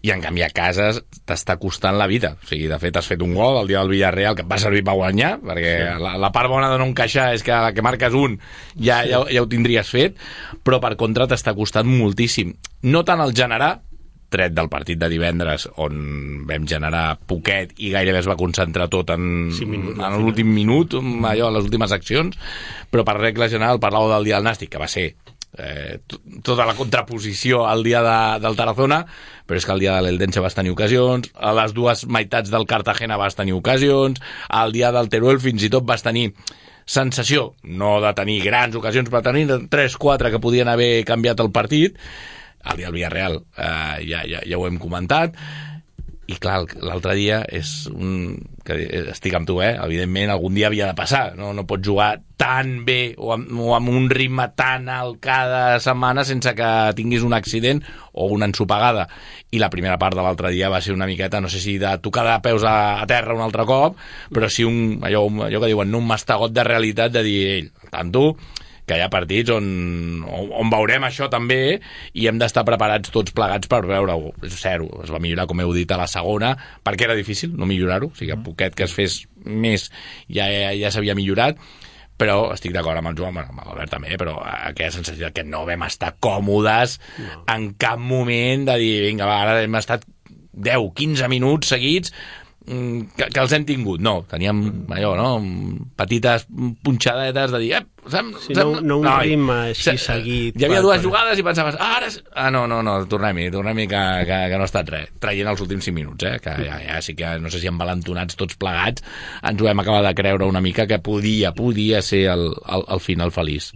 i en canvi a casa t'està costant la vida. O sigui, de fet has fet un gol el dia del Villarreal que et va servir per guanyar, perquè sí. la, la part bona de no encaixar és que la que marques un ja, sí. ja, ja ho tindries fet, però per contra t'està costant moltíssim. No tant el generar, tret del partit de divendres on vam generar poquet i gairebé es va concentrar tot en, sí, minuts, en l'últim minut, allò, les últimes accions, però per regla general parlàveu del dia del Nàstic, que va ser Eh, tota la contraposició al dia de, del Tarazona, però és que el dia de l'Eldense vas tenir ocasions, a les dues meitats del Cartagena vas tenir ocasions, al dia del Teruel fins i tot vas tenir sensació, no de tenir grans ocasions, però tenir tres quatre que podien haver canviat el partit. El dia del Villarreal eh, ja, ja, ja ho hem comentat. I clar, l'altre dia és un... que estic amb tu, eh? Evidentment, algun dia havia de passar. No, no pots jugar tan bé o amb, o amb un ritme tan alt cada setmana sense que tinguis un accident o una ensopegada. I la primera part de l'altre dia va ser una miqueta, no sé si de tocar de peus a, a terra un altre cop, però sí un, allò, allò que diuen, un mastegot de realitat de dir, ell, tant tu, que hi ha partits on, on veurem això també i hem d'estar preparats tots plegats per veure-ho. Zero, es va millorar, com heu dit, a la segona, perquè era difícil no millorar-ho, o sigui, a poquet que es fes més ja, ja, ja s'havia millorat, però estic d'acord amb el Joan, amb l'Albert també, però aquella sensació que no vam estar còmodes no. en cap moment de dir, vinga, va, ara hem estat deu quinze minuts seguits que, que els hem tingut. No, teníem allò, no? Petites punxadetes de dir, eh, sem, sí, sem, no, no un no, ritme així seguit. Hi havia dues per... jugades i pensaves, ah, ara... Ah, no, no, no, tornem-hi, tornem-hi que, que, que no ha estat res. Traient els últims cinc minuts, eh? Que ja, ja sí que, no sé si envalentonats tots plegats, ens ho hem acabat de creure una mica que podia, podia ser el, el, el final feliç.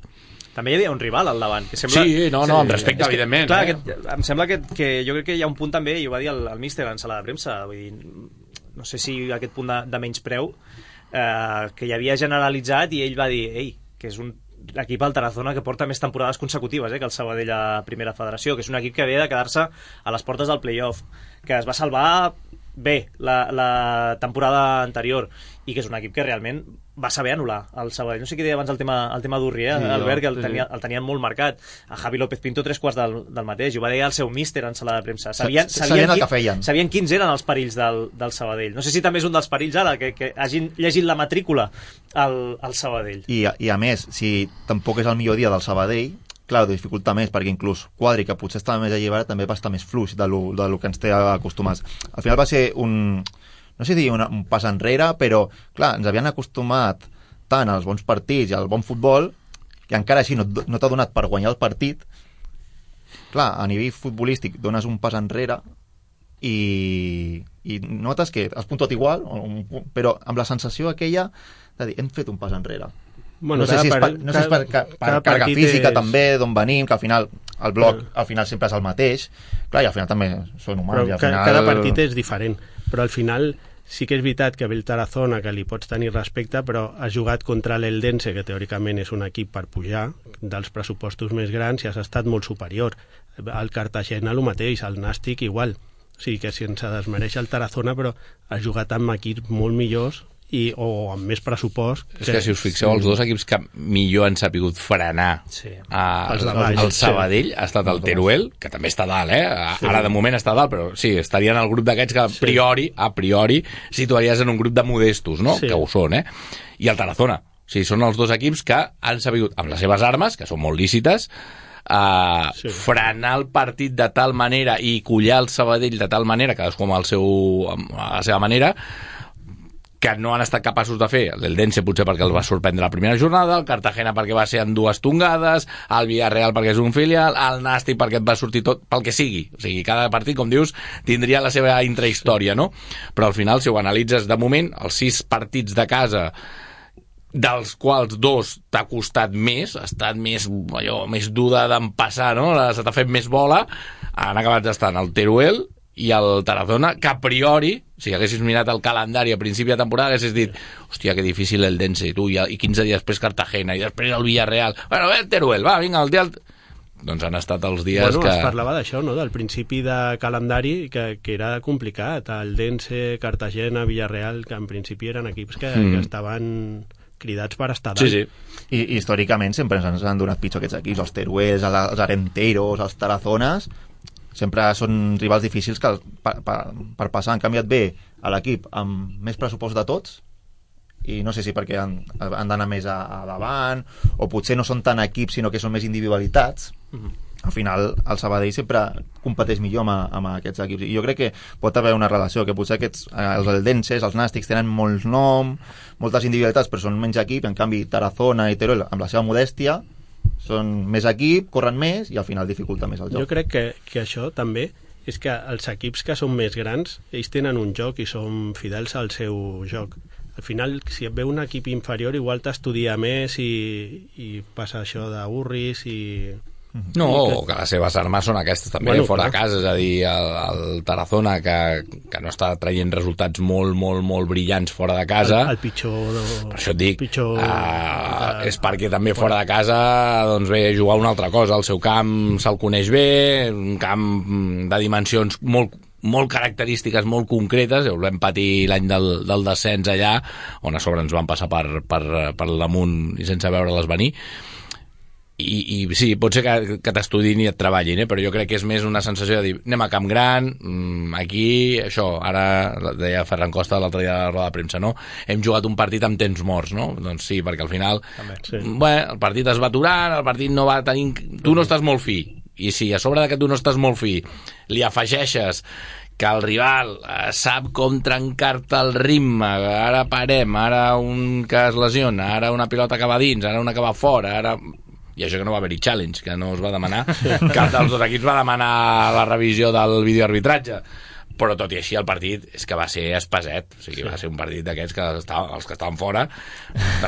També hi havia un rival al davant. Que sembla... Sí, no, no, amb respecte, que, evidentment. Clar, eh? que, em sembla que, que jo crec que hi ha un punt també, i ho va dir el, el míster en sala de premsa, vull dir, no sé si aquest punt de, de menyspreu eh, que hi havia generalitzat, i ell va dir, ei, que és un equip al Tarazona que porta més temporades consecutives eh, que el Sabadell a Primera Federació, que és un equip que ve de quedar-se a les portes del play-off, que es va salvar bé la, la temporada anterior i que és un equip que realment va saber anul·lar el Sabadell. No sé què deia abans el tema, el tema d'Urri, eh, sí, Albert, que el, tenia, el tenien molt marcat. A Javi López Pinto tres quarts del, del mateix, i ho va dir el seu míster en sala de premsa. Sabien, sabien, sabien el que feien. Sabien quins eren els perills del, del Sabadell. No sé si també és un dels perills ara, que, que hagin llegit la matrícula al, al Sabadell. I, I a més, si tampoc és el millor dia del Sabadell, clar, ho dificulta més, perquè inclús Quadri, que potser estava més alliberat, també va estar més fluix de lo, de lo que ens té acostumats. Al final va ser un... no sé si dir una, un pas enrere, però, clar, ens havien acostumat tant als bons partits i al bon futbol, que encara així no, no t'ha donat per guanyar el partit. Clar, a nivell futbolístic dones un pas enrere i, i notes que has puntuat igual, però amb la sensació aquella de dir, hem fet un pas enrere. Bueno, no sé si és per, no sé si és per, per, per càrrega física és... també, d'on venim, que al final el bloc però... al final sempre és el mateix. Clar, i al final també són humans. Però i al final... cada partit és diferent, però al final sí que és veritat que ve el Tarazona, que li pots tenir respecte, però has jugat contra l'Eldense, que teòricament és un equip per pujar, dels pressupostos més grans, i has estat molt superior. El Cartagena el mateix, el Nàstic igual. O sigui que sense desmereixer el Tarazona, però has jugat amb equips molt millors i, o amb més pressupost. És que si us fixeu, els dos equips que millor han sapigut frenar sí. a, el, el Sabadell ha estat el Teruel, que també està dalt, eh? Sí. Ara de moment està dalt, però sí, estaria en el grup d'aquests que a priori, a priori situaries en un grup de modestos, no? Sí. Que ho són, eh? I el Tarazona. O sigui, són els dos equips que han sabut, amb les seves armes, que són molt lícites, Uh, sí. frenar el partit de tal manera i collar el Sabadell de tal manera, cadascú amb, el seu, amb la seva manera, que no han estat capaços de fer. L'Eldense potser perquè els va sorprendre la primera jornada, el Cartagena perquè va ser en dues tongades, el Villarreal perquè és un filial, el Nàstic perquè et va sortir tot, pel que sigui. O sigui, cada partit, com dius, tindria la seva intrahistòria, no? Però al final, si ho analitzes de moment, els sis partits de casa, dels quals dos t'ha costat més, ha estat més, allò, més dur d'empassar, no? Se t'ha fet més bola, han acabat estant el Teruel i el Tarazona, que a priori, si haguessis mirat el calendari a principi de temporada, haguessis dit, hòstia, que difícil el Dense, tu, i, i quinze dies després Cartagena, i després el Villarreal, bueno, el Teruel, va, vinga, el dia... Doncs han estat els dies bueno, que... es parlava d'això, no?, del principi de calendari, que, que era complicat, el Dense, Cartagena, Villarreal, que en principi eren equips que, mm. que estaven... cridats per estar dalt. Sí, sí. I, i històricament sempre ens han donat pitjor aquests equips, els Teruels, els Arenteros, els Tarazones, sempre són rivals difícils que per, per, per passar. Han canviat bé a l'equip amb més pressupost de tots, i no sé si perquè han, han d'anar més a, a davant, o potser no són tant equips sinó que són més individualitats. Mm-hmm. Al final el Sabadell sempre competeix millor amb, amb aquests equips, i jo crec que pot haver una relació, que potser aquests, els eldenses, els nàstics tenen molts nom, moltes individualitats, però són menys equip, en canvi Tarazona i Teruel, amb la seva modèstia, són més equip, corren més i al final dificulta més el joc. Jo crec que, que això també és que els equips que són més grans, ells tenen un joc i són fidels al seu joc. Al final, si et ve un equip inferior, igual t'estudia més i, i passa això d'avorris i... No, o que les seves armes són aquestes també, bueno, fora de casa, és a dir, el, el Tarazona que, que no està traient resultats molt, molt, molt brillants fora de casa. El, el pitjor... No, per això et dic, pitjor, uh, uh, és perquè també fora de casa doncs ve a jugar una altra cosa, el seu camp se'l coneix bé, un camp de dimensions molt molt característiques, molt concretes. Ho vam patir l'any del, del descens allà, on a sobre ens van passar per, per, per damunt i sense veure-les venir. I, i sí, pot ser que, que t'estudin i et treballin, eh? Però jo crec que és més una sensació de dir, anem a Camp Gran, aquí, això, ara deia Ferran Costa l'altre dia a la roda de premsa, no? Hem jugat un partit amb temps morts, no? Doncs sí, perquè al final, també, sí. Bé, el partit es va aturant, el partit no va tenir... Tu no estàs molt fi, i si a sobre de que tu no estàs molt fi li afegeixes que el rival eh, sap com trencar-te el ritme, ara parem, ara un que es lesiona, ara una pilota que va dins, ara una que va fora, ara... I això que no va haver-hi challenge, que no es va demanar, cap dels dos equips va demanar la revisió del videoarbitratge, però tot i així el partit és que va ser espaset, o sigui, sí. Va ser un partit d'aquests que estava, els que estaven fora,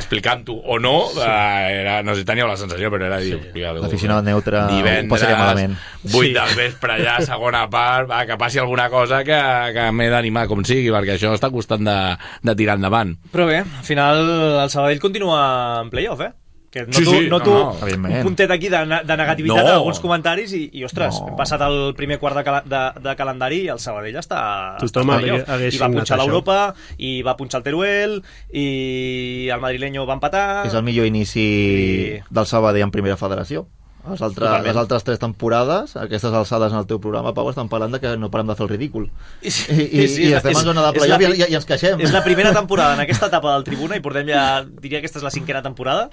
explicant-ho o no, sí. eh, era, no sé si teníeu la sensació, però era dir... Sí. L'aficionat neutre divendres, ho passaria malament. vuit sí. del vespre allà, segona part, va, que passi alguna cosa que, que m'he d'animar com sigui, perquè això està costant de, de tirar endavant. Però bé, al final el Sabadell continua en playoff, eh? Que noto, sí, sí, noto no, no, un puntet aquí de, de negativitat no. en alguns comentaris i, i ostres, no. Hem passat el primer quart de, cala, de, de calendari i el Sabadell està, tothom està i va punxar l'Europa i va punxar el Teruel i el madrileño va empatar. És el millor inici i... del Sabadell en primera federació. Les altres, les altres tres temporades, aquestes alçades en el teu programa, Pau, estan parlant de que no parem de fer el ridícul. I, i, sí, i estem és, en zona de playoff i, i ens queixem. És la primera temporada en aquesta etapa del Tribuna i portem ja, diria que aquesta és la cinquena temporada,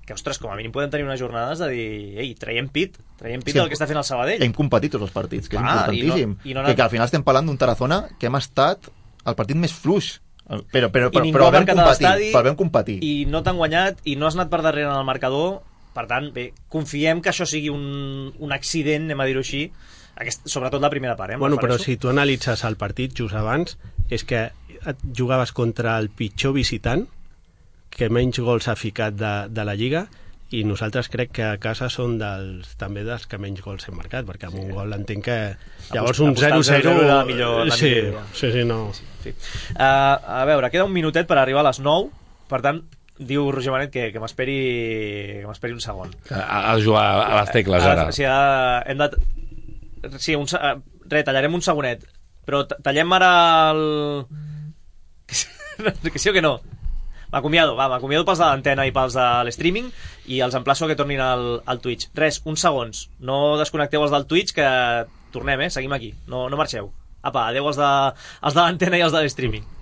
que, ostres, com a mínim podem tenir unes jornades de dir, ei, traiem pit, traiem pit sí, del que està fent el Sabadell. Hem competit tots els partits, que és ah, importantíssim. I no, i no que, que al final estem parlant d'un Tarazona que hem estat el partit més fluix, però, però, però, però vam competir, però vam competir. I no t'han guanyat, i no has anat per darrere en el marcador, per tant, bé, confiem que això sigui un, un accident, anem a dir-ho així, aquest, sobretot la primera part. Eh, bueno, però si tu analitzes el partit just abans, és que jugaves contra el pitjor visitant, que menys gols ha ficat de, de la Lliga, i nosaltres crec que a casa són dels, també dels que menys gols hem marcat, perquè amb sí. Un gol entenc que llavors un zero zero la millor, la sí, millor sí, sí, no. Sí, sí. Uh, a veure, queda un minutet per arribar a les nou, per tant diu Roger Manet que, que m'esperi que m'esperi un segon. A, a jugar a les tecles ara. A, o sigui, a, hem de... Sí, un, re, tallarem un segonet, però tallem ara el... Que sí o que no? M'acomiado, va, m'acomiado pels de l'antena i pels de l'streaming i els emplaço que tornin al, al Twitch. Res, uns segons. No desconnecteu els del Twitch, que tornem, eh? Seguim aquí. No, no marxeu. Apa, adeu els de, els de l'antena i els de l'streaming.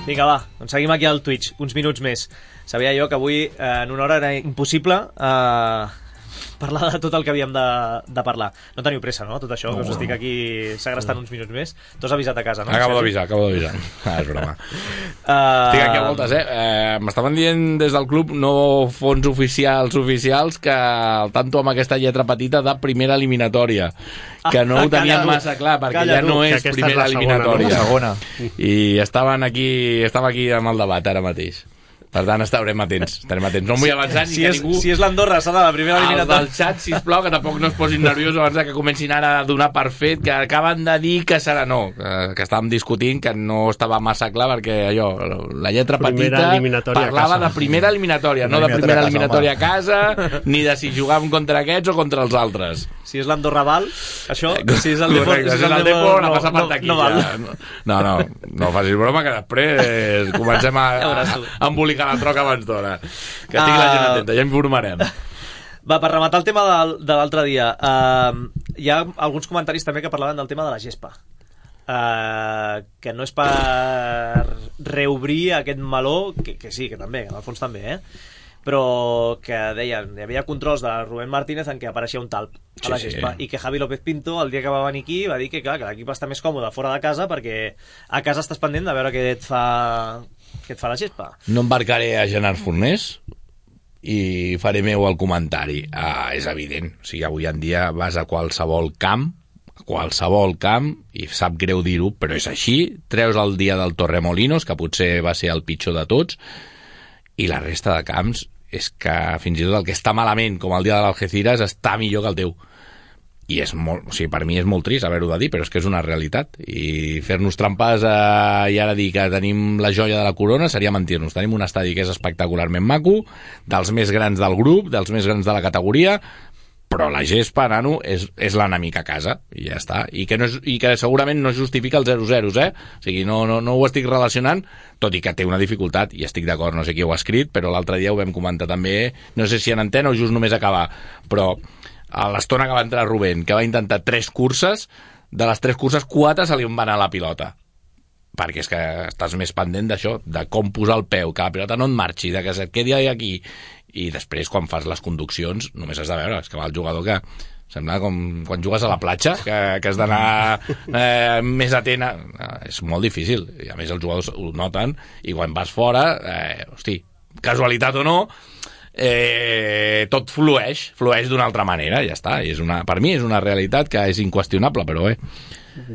Vinga, va, doncs seguim aquí al Twitch, uns minuts més. Sabia jo que avui, eh, en una hora, era impossible eh, parlar de tot el que havíem de, de parlar. No teniu pressa, no?, tot això, no, que us estic aquí segrestant uns minuts més. Tu has avisat a casa, no? Acabo d'avisar, acabo d'avisar. Ah, és broma. Uh... Estic aquí a voltes, eh? eh M'estaven dient des del club, no fons oficials oficials, que al tanto amb aquesta lletra petita de primera eliminatòria, que no ho tenien massa clar, perquè calla ja no tu, és primera és eliminatòria. Segona, no? I estaven aquí, estava aquí amb el debat ara mateix. Per tant, estarem atents, estarem atents. No em vull avançar ni si que és, ningú... Si és l'Andorra, serà la primera eliminatòria. El del xat, sisplau, que tampoc no es posin nerviosos abans que comencin ara a donar per fet, que acaben de dir que serà no, que, que estàvem discutint, que no estava massa clar, perquè allò, la lletra primera petita parlava de primera eliminatòria, no de primera eliminatòria a casa, ni de si jugàvem contra aquests o contra els altres. Si és l'Andorra val, això, si és el Depor, correcte, si és el Depor, no, no passa per aquí. No, no, ja. no, no, no facis broma, que després comencem a, a, a embolicar la troca abans d'hora. Que estigui la gent atenta, ja informarem. Va, per rematar el tema de, de l'altre dia, uh, hi ha alguns comentaris també que parlaven del tema de la gespa. Uh, que no és per reobrir aquest meló, que, que sí, que també, en el fons també, eh? Però que deien, hi havia controls de Rubén Martínez en què apareixia un talp a la gespa, sí, sí. I que Javi López Pinto, el dia que va venir aquí, va dir que, clar, que l'equip està més còmode fora de casa perquè a casa estàs pendent de veure què et fa, què et fa la gespa. No embarcaré a Gerard Fornés i faré meu el comentari. Ah, és evident, o sigui, avui en dia vas a qualsevol camp, qualsevol camp, i sap greu dir-ho, però és així, treus el dia del Torremolinos, que potser va ser el pitjor de tots, i la resta de camps és que fins i tot el que està malament, com el dia de l'Algeciras, està millor que el teu. I és molt, o sigui, per mi és molt trist haver-ho de dir, però és que és una realitat. I fer-nos trampes eh, i ara dir que tenim la joia de la corona seria mentir-nos. Tenim un estadi que és espectacularment maco, dels més grans del grup, dels més grans de la categoria, però la gespa, nano, és, és l'enemic a casa, i ja està. I que, no és, i que segurament no justifica els zero zero, eh? O sigui, no, no, no ho estic relacionant, tot i que té una dificultat, i estic d'acord, no sé qui ho ha escrit, però l'altre dia ho vam comentar també, no sé si en antena o just només acabar, però a l'estona que va entrar Rubén, que va intentar tres curses, de les tres curses, quatre se li van a la pilota. Perquè és que estàs més pendent d'això, de com posar el peu, que la pilota no et marxi, de que se't quedi aquí. I després, quan fas les conduccions, només has de veure, és que va el jugador que sembla com quan jugues a la platja, que, que has d'anar eh, més atent a... És molt difícil, i a més els jugadors ho noten, i quan vas fora, eh, hosti, casualitat o no, eh, tot flueix, flueix d'una altra manera, ja està. I és una, per mi és una realitat que és inqüestionable, però bé.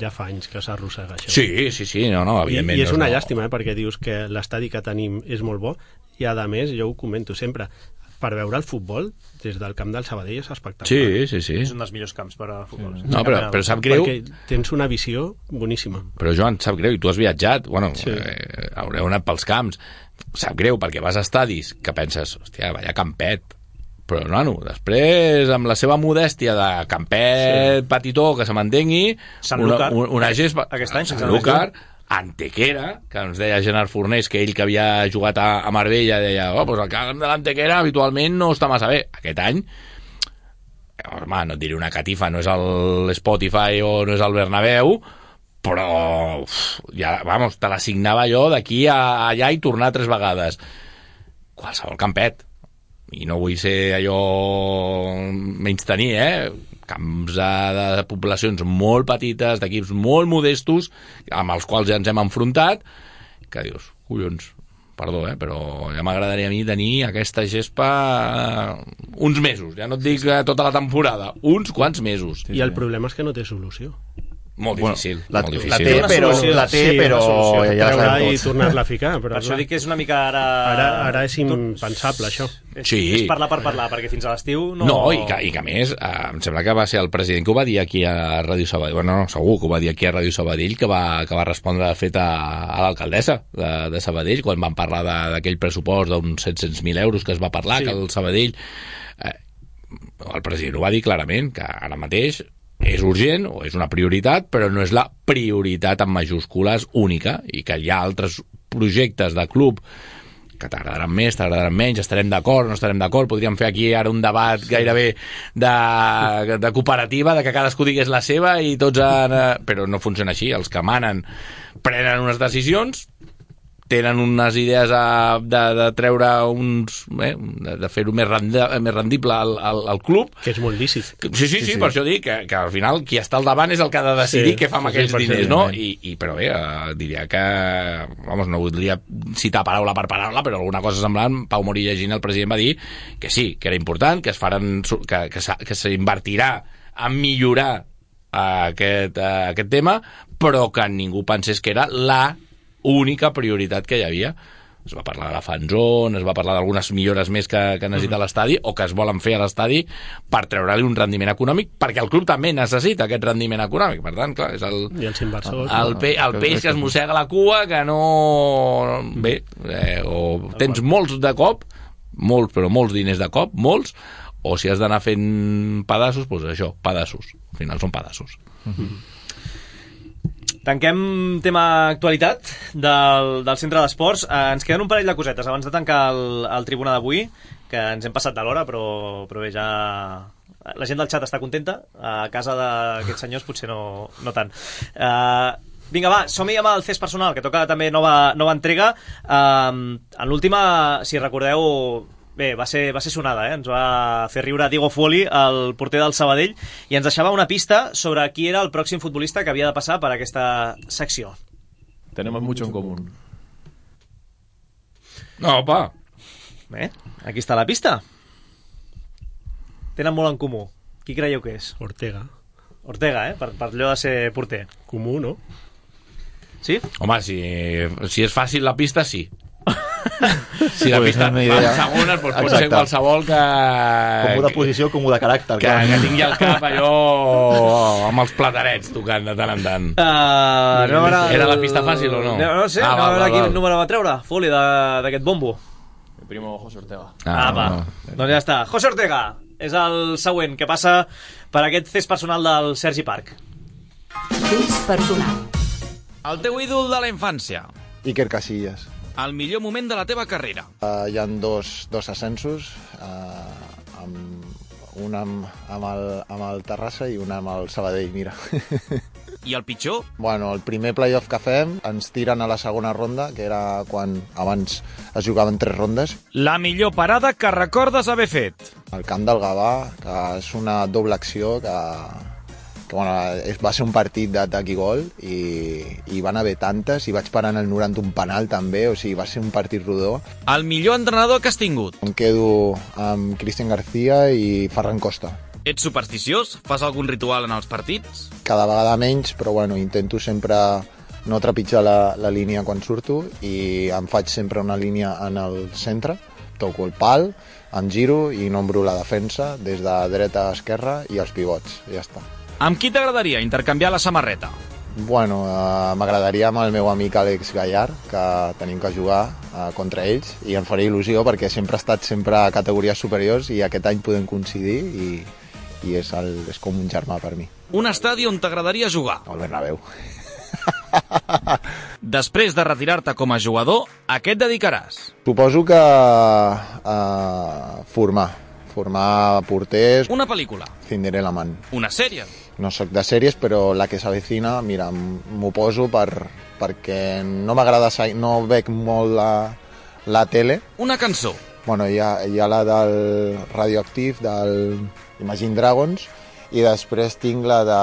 Ja fa anys que s'arrossega això. Sí, sí, sí, no, no, evidentment. I, i és una no... llàstima, eh, perquè dius que l'estadi que tenim és molt bo, i a més, jo ho comento sempre, per veure el futbol des del camp del Sabadell és espectacular. Sí, sí, sí. És un dels millors camps per a futbol. Sí. No, però, però sap greu... Perquè tens una visió boníssima. Però, Joan, sap greu, i tu has viatjat, bueno, sí. eh, haureu anat pels camps, sap greu, perquè vas a estadis que penses, hòstia, vaya campet, però, nano, després, amb la seva modèstia de campet sí. petitó, que se mantengui, una, una gespa... Aquest any, Sant Lúcar, Antequera, que ens deia Gerard Fornés, que ell que havia jugat a, a Marbella deia, oh, pues el camp de l'Antequera habitualment no està massa bé. Aquest any, home, no et diré una catifa, no és el Spotify o no és el Bernabéu, però uf, ja, vamos, te l'assignava jo d'aquí a allà i tornar tres vegades. Qualsevol campet. I no vull ser allò menys tenir, eh? Camps de, de poblacions molt petites, d'equips molt modestos, amb els quals ja ens hem enfrontat, que dius, collons, perdó, eh, però ja m'agradaria a mi tenir aquesta gespa uns mesos, ja no et dic tota la temporada, uns quants mesos. I el problema és que no té solució. Molt difícil. La, molt la difícil. té, però... La té, sí, però... Ja ja la sabem i tots. tornar-la a ficar. Però Per això clar, dic que és una mica ara... ara, ara és impensable, això. És, Sí. és parlar per parlar, perquè fins a l'estiu no... No, i que, i que a més, eh, em sembla que va ser el president que ho va dir aquí a Ràdio Sabadell, bueno, no, segur que ho va dir aquí a Ràdio Sabadell, que va, que va respondre, de fet, a, a l'alcaldessa de, de Sabadell, quan van parlar de- d'aquell pressupost d'uns set-cents mil euros que es va parlar, Sí. que el Sabadell... Eh, el president ho va dir clarament, que ara mateix és urgent o és una prioritat, però no és la prioritat en majúscules única, i que hi ha altres projectes de club que t'agradaran més, t'agradaran menys, estarem d'acord, no estarem d'acord, podríem fer aquí ara un debat gairebé de, de cooperativa, de que cadascú digués la seva i tots han... Però no funciona així, els que manen prenen unes decisions, tenen unes idees a, de, de treure uns... Eh, de, de fer-ho més, rendi, més rendible al, al, al club. Que és molt lícit. Sí, sí, sí, sí, per això dic que, que al final qui està al davant és el que ha de decidir Sí, què fa amb sí, aquells sí, diners, no? perfectament. I, i, però bé, eh, diria que... Vamos, no voldria citar paraula per paraula, però alguna cosa semblant, Pau Morí llegint, el president va dir que sí, que era important, que es faran, que, que, s'ha- que s'invertirà a millorar eh, aquest, eh, aquest tema, però que ningú pensés que era la única prioritat que hi havia. Es va parlar de la fan zone, es va parlar d'algunes millores més que, que necessita l'estadi o que es volen fer a l'estadi per treure-li un rendiment econòmic, perquè el club també necessita aquest rendiment econòmic. Per tant, clar, és el, I els inversors. el, pe, el peix que es mossega la cua, que no... Bé, eh, o tens molts de cop, molts, però molts diners de cop, molts, o si has d'anar fent pedaços, doncs això, pedaços. Al final són pedaços. Tanquem tema actualitat del, del centre d'esports. Eh, ens queden un parell de cosetes abans de tancar el, el tribuna d'avui, que ens hem passat de l'hora, però, però bé, ja... La gent del xat està contenta, a casa d'aquests senyors potser no, no tant. Eh, vinga, va, som-hi amb el C E S personal, que toca també nova, nova entrega. Eh, en l'última, si recordeu... Bé, va ser, va ser sonada, eh? Ens va fer riure Diego Fuoli, el porter del Sabadell, i ens deixava una pista sobre qui era el pròxim futbolista que havia de passar per aquesta secció. Tenemos mucho en común. No, opa. Bé, aquí està la pista. Tenen molt en comú. Qui creieu que és? Ortega. Ortega, eh? Per, per allò de ser porter. Comú, no? Sí? Home, si, si és fàcil la pista, sí. Si la Pues pista una fa idea. segones, doncs pot Exacte. ser qualsevol que... Com de posició, com de caràcter. Que, clar. que tingui el cap allò amb els platarets tocant de tant en tant. Uh, no, ara, Era la pista fàcil o no? No, no sé, Ah, no, val, a veure val, quin val. número va treure, Foli, de- d'aquest bombo. Mi primo José Ortega. Ah, va. Doncs ja està. José Ortega és el següent que passa per aquest C E S personal del Sergi Parc. C E S personal. El teu ídol de la infància. Iker Casillas. El millor moment de la teva carrera. Uh, hi ha dos, dos ascensos, uh, amb, un amb, amb, el, amb el Terrassa i un amb el Sabadell, mira. I el pitjor? Bueno, el primer playoff que fem ens tiren a la segona ronda, que era quan abans es jugaven tres rondes. La millor parada que recordes haver fet. El camp del Gavà, que és una doble acció que, que bueno, és, va ser un partit d'atac i gol i, i van haver tantes i vaig parar en el noranta un penal també, o sigui, va ser un partit rodó. El millor entrenador que has tingut. Em quedo amb Cristian García i Ferran Costa. Ets supersticiós? Fas algun ritual en els partits? Cada vegada menys, però bueno, intento sempre no trepitjar la, la línia quan surto i em faig sempre una línia en el centre, toco el pal, em giro i nombro la defensa des de dreta a esquerra i els pivots, i ja està. Amb qui t'agradaria intercanviar la samarreta? Bueno, eh, m'agradaria amb el meu amic Àlex Gallard, que tenim que jugar eh, contra ells, i em faria il·lusió perquè sempre ha estat sempre a categories superiors i aquest any podem coincidir i, i és, el, és com un germà per mi. Un estadi on t'agradaria jugar? El Bernabéu. Després de retirar-te com a jugador, a què et dedicaràs? Suposo que eh, formar, formar porters. Una pel·lícula? Cinderella Man. Una sèrie? No sóc de sèries, però la que s'avecina, mira, m'ho poso per, perquè no m'agrada, no veig molt la, la tele. Una cançó? Bueno, hi ha, hi ha la del Radioactive, del Imagine Dragons, i després tinc la de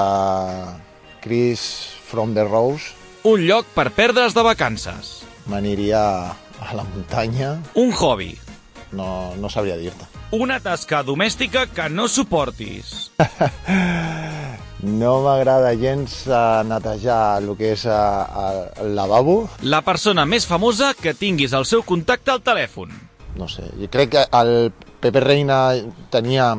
Chris from the Rose. Un lloc per perdre's de vacances? M'aniria a la muntanya. Un hobby? No, no sabria dir-te. Una tasca domèstica que no suportis? No m'agrada gens uh, netejar el que és uh, el lavabo. La persona més famosa que tinguis el seu contacte al telèfon. No sé, jo crec que el Pepe Reina tenia,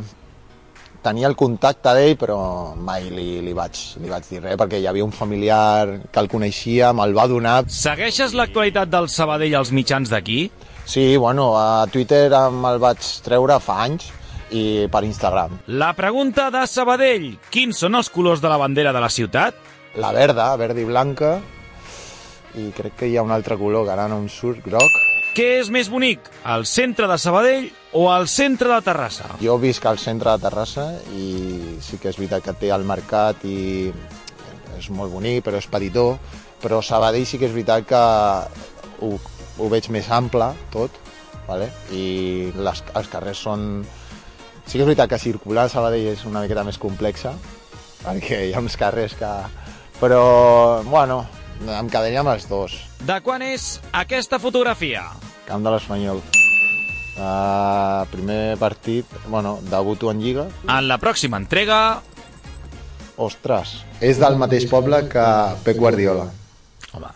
tenia el contacte d'ell, però mai li, li, vaig, li vaig dir res, perquè hi havia un familiar que el coneixia, me'l va donar. Segueixes l'actualitat del Sabadell als mitjans d'aquí? Sí, bueno, a Twitter me'l vaig treure fa anys, i per Instagram. La pregunta de Sabadell. Quins són els colors de la bandera de la ciutat? La verda, verda i blanca, i crec que hi ha un altre color que ara no em surt, groc. Què és més bonic, el centre de Sabadell o el centre de Terrassa? Jo visc al centre de Terrassa i sí que és veritat que té el mercat i és molt bonic, però és petitó, però Sabadell sí que és veritat que ho, ho veig més ample tot, vale? I les, els carrers són... Sí que és veritat que circular a Sabadell és una miqueta més complexa, perquè hi ha uns carrers que... Però, bueno, em quedaria amb els dos. De quan és aquesta fotografia? Camp de l'Espanyol. Uh, primer partit, bueno, debuto en Lliga. En la pròxima entrega... Ostres, és del mateix poble que Pep Guardiola. Home.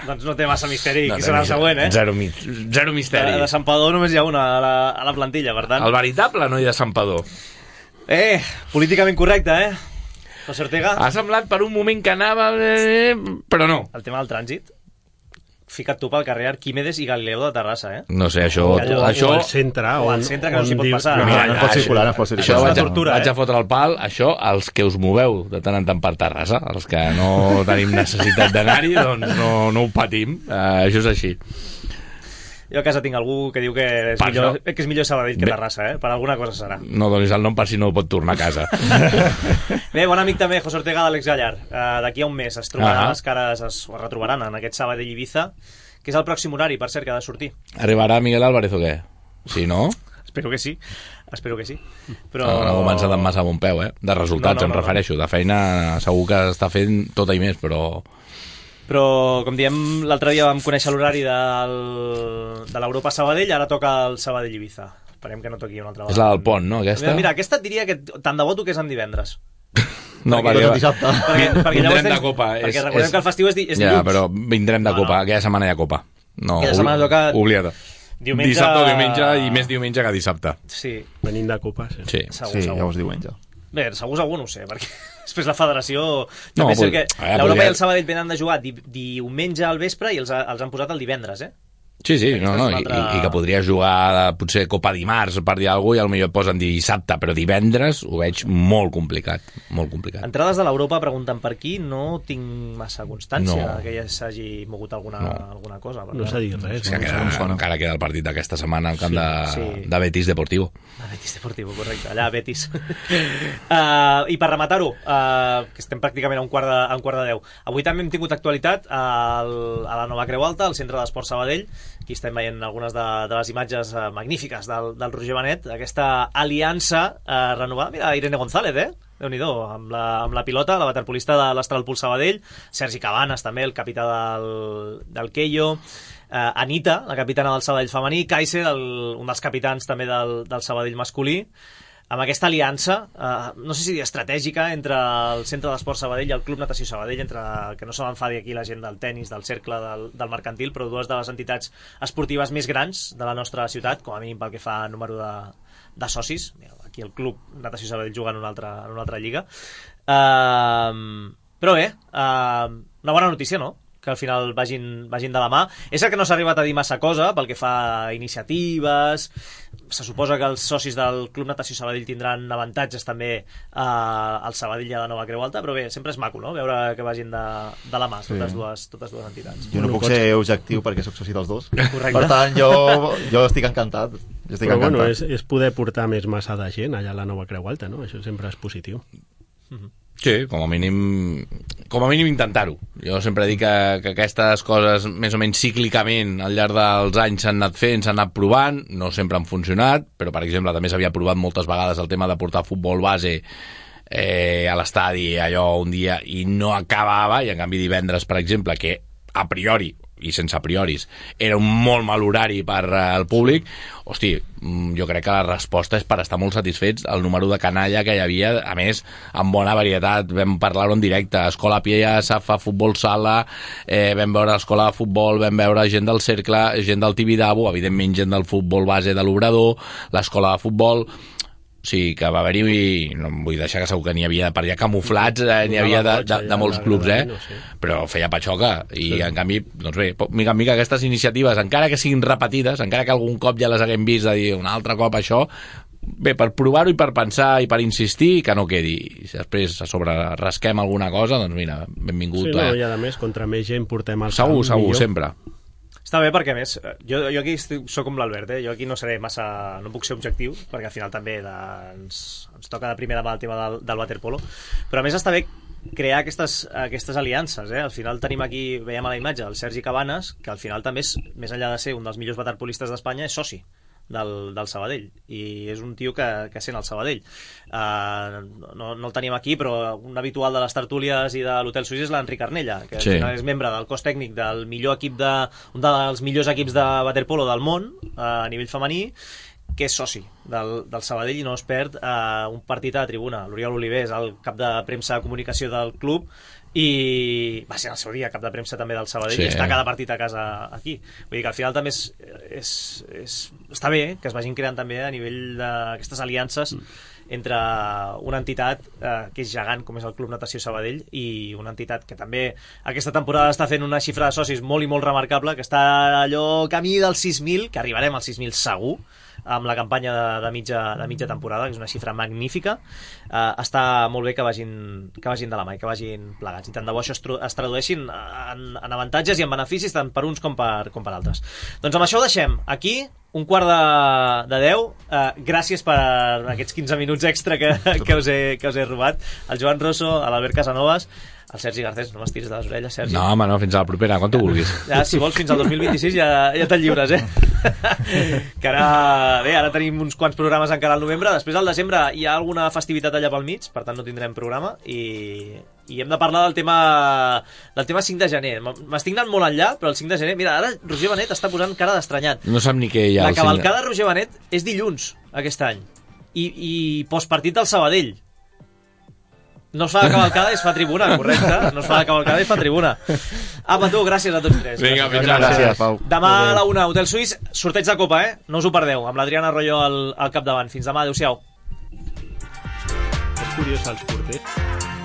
Doncs no té massa misteri, No qui té serà el misteri. següent, eh? Zero, mi- zero misteri. De, de Santpedor només hi ha una a la, a la plantilla, per tant. El veritable noi de Santpedor. Eh, políticament correcte, eh? José Ortega. Ha semblat per un moment que anava... Eh, però no. El tema del trànsit. Fica't tu pel carrer Arquímedes i Galileu de Terrassa, eh? No sé, això... O allò- això... O al centre, O al on- centre que no on s'hi pot diu- passar. No, Mira, no pot circular, no pot circular. Això És una vaig, a, tortura, vaig eh? a fotre el pal, això, els que us moveu de tant en tant per Terrassa, els que no tenim necessitat d'anar-hi, doncs no, no ho patim, uh, això és així. Jo a casa tinc algú que diu que és, Per millor, això. que és millor Sabadell que Bé. Terrassa, eh? Per alguna cosa serà. No donis el nom per si no pot tornar a casa. Bé, bon amic també, José Ortega d'Àlex Gallar. Uh, D'aquí a un mes es trobaran Ah. les cares, es retrobaran en aquest Sabadell-Ibiza, que és el pròxim horari, per cert, que ha de sortir. Arribarà Miguel Álvarez o què? Sí, no? Espero que sí, espero que sí. Però... No, no ha començat amb massa bon peu, eh? De resultats, No, no, em no, refereixo. De feina segur que està fent tota i més, però... Però, com diem, l'altre dia vam conèixer l'horari del... de l'Europa Sabadell, ara toca el Sabadell-Ibiza. Esperem que no toqui una altra És la del pont, no, aquesta? Mira, mira, aquesta et diria que tant de bo toqués en divendres. No, perquè, perquè, dissabte. perquè, perquè llavors vindrem de tens- copa. perquè recordem que el festiu és, di, és ja, dilluns. però vindrem de copa. Aquella setmana hi ha copa. No, Aquella setmana toca oblida. diumenge- Dissabte o diumenge, i més diumenge que dissabte. Sí. Venint de copa, sí. Sí, Segur, segur. llavors diumenge. Bé, segur, segur, no ho sé, perquè després la federació... No, També sé pod- que eh, l'Europa podria- i el Sabadell venen de jugar di, diumenge al vespre i els, ha- els han posat el divendres, eh? Sí, sí, no, no, és una i, altra- i que podria jugar potser Copa dimarts per dir alguna cosa i potser et posen dissabte, però divendres ho veig molt complicat, molt complicat. Entrades de l'Europa pregunten per aquí, no tinc massa constància No. que ja s'hagi mogut alguna, No. alguna cosa. per No tant. s'ha dit res. És que queda, encara queda el partit d'aquesta setmana al camp Sí, de, sí. de Betis Deportivo. A Betis Deportivo, correcte, allà a Betis. uh, I per rematar-ho, uh, que estem pràcticament a un quart de, a un quart de deu. Avui també hem tingut actualitat al, a la Nova Creu Alta, al Centre d'Esport Sabadell. Aquí estem veient algunes de, de les imatges uh, magnífiques del, del Roger Benet, aquesta aliança uh, renovada. Mira, Irene González, eh? Déu-n'hi-do, amb la, amb la pilota, la waterpolista de l'Astralpool Sabadell, Sergi Cabanes també, el capità del, del Keio, Uh, Anita, la capitana del Sabadell femení, Kaise, del, un dels capitans també del, del Sabadell masculí, amb aquesta aliança, uh, no sé si dir estratègica, entre el Centre d'Esport Sabadell i el Club Natació Sabadell, entre que no se m'enfadi aquí la gent del tennis, del cercle, del, del mercantil, però dues de les entitats esportives més grans de la nostra ciutat, com a mínim pel que fa a número de, de socis. Mira, aquí el Club Natació Sabadell juga en una altra, en una altra lliga. Uh, però bé, uh, una bona notícia, no?, que al final vagin, vagin de la mà. És el que no s'ha arribat a dir massa cosa pel que fa a iniciatives. Se suposa que els socis del Club Natació Sabadell tindran avantatges també eh, al Sabadell i a la Nova Creu Alta, però bé, sempre és maco, no?, veure que vagin de, de la mà Sí. totes, dues, totes dues entitats. Jo no puc ser objectiu perquè sóc soci dels dos. Correcte. Per tant, jo, jo estic encantat. Jo estic Però encantat. bueno, és, és poder portar més massa de gent allà a la Nova Creu Alta, no? Això sempre és positiu. Sí, com a mínim com a mínim intentar-ho. Jo sempre dic que, que aquestes coses més o menys cíclicament al llarg dels anys s'han anat fent, s'han anat provant, no sempre han funcionat, però per exemple també s'havia provat moltes vegades el tema de portar futbol base eh, a l'estadi allò un dia i no acabava, i en canvi divendres, per exemple, que a priori i sense a prioris, era un molt mal horari per al públic, hosti, jo crec que la resposta és per estar molt satisfets. El número de canalla que hi havia, a més, amb bona varietat, vam parlar-ho en directe, escola a pie, safa, futbol sala, eh, vam veure escola de futbol, vam veure gent del cercle, gent del Tibidabo, evidentment gent del futbol base de l'Obrador, l'escola de futbol. O sigui, que va haver-hi, no em vull deixar que segur que n'hi havia per allà camuflats, eh, n'hi havia de, de, de molts clubs, eh? Però feia patxoca, i en canvi, doncs bé, mica en mica aquestes iniciatives, encara que siguin repetides, encara que algun cop ja les haguem vist de dir un altre cop això, bé, per provar-ho i per pensar i per insistir, que no quedi. I si després a sobre rasquem alguna cosa, doncs mira, benvingut. Sí, no, eh? i a més, contra més gent portem al segur, camp segur, millor. sempre. Està bé perquè, a més, jo, jo aquí estic, soc com l'Albert, eh? Jo aquí no seré massa... no puc ser objectiu, perquè al final també de, ens, ens toca de primer demà el tema del, del waterpolo, però a més està bé crear aquestes, aquestes aliances, eh? Al final tenim aquí, veiem a la imatge, el Sergi Cabanes, que al final també és, més enllà de ser un dels millors waterpolistes d'Espanya, és soci del, del Sabadell, i és un tio que, que sent el Sabadell. Uh, no, no el tenim aquí, però un habitual de les tertúlies i de l'Hotel Suís és l'Enric Arnella, que sí. És membre del cos tècnic del millor equip de, un dels millors equips de waterpolo del món, uh, a nivell femení, que és soci del, del Sabadell i no es perd uh, un partit a la tribuna. L'Oriol Oliver és el cap de premsa de comunicació del club i va ser el seu dia cap de premsa també del Sabadell, sí. I està cada partit a casa aquí. Vull dir que al final també és, és, és, està bé que es vagin creant també a nivell d'aquestes aliances mm. entre una entitat eh, que és gegant com és el Club Natació Sabadell i una entitat que també aquesta temporada està fent una xifra de socis molt i molt remarcable, que està allò camí dels sis mil, que arribarem als sis mil segur, amb la campanya de, de, mitja, de mitja temporada, que és una xifra magnífica. Uh, està molt bé que vagin, que vagin de la mà i que vagin plegats, i tant de bo això es, es tradueixin en, en avantatges i en beneficis tant per uns com per, com per altres. Doncs amb això ho deixem aquí, un quart de, de deu. Uh, gràcies per aquests quinze minuts extra que, que, us he, que us he robat. El Joan Rosso, l'Albert Casanovas, el Sergi Garcés, no m'estiris de les orelles, Sergi. No, home, no, fins a la propera, quan tu vulguis. Ja, si vols, fins al dos mil vint-i-sis ja, ja te'n lliures, eh? Que ara, bé, ara tenim uns quants programes encara al novembre, després al desembre hi ha alguna festivitat allà pel mig, per tant no tindrem programa, i, i hem de parlar del tema del tema cinc de gener. M'estic anant molt enllà, però el cinc de gener, mira, ara Roger Benet està posant cara d'estranyat. No sap ni què hi ha. La cavalcada de Roger Benet és dilluns, aquest any, i, i postpartit del Sabadell. No es fa la cavalcada i es fa tribuna, correcte? No es fa la cavalcada i es fa tribuna. Apa, tu, gràcies a tots tres. Vinga, fins ara. Gràcies, Pau. Demà a la una, Hotel Suís, sorteig de Copa, eh? No us ho perdeu, amb l'Adriana Arroyo al, al capdavant. Fins demà, adeu-siau. És curiós, els porters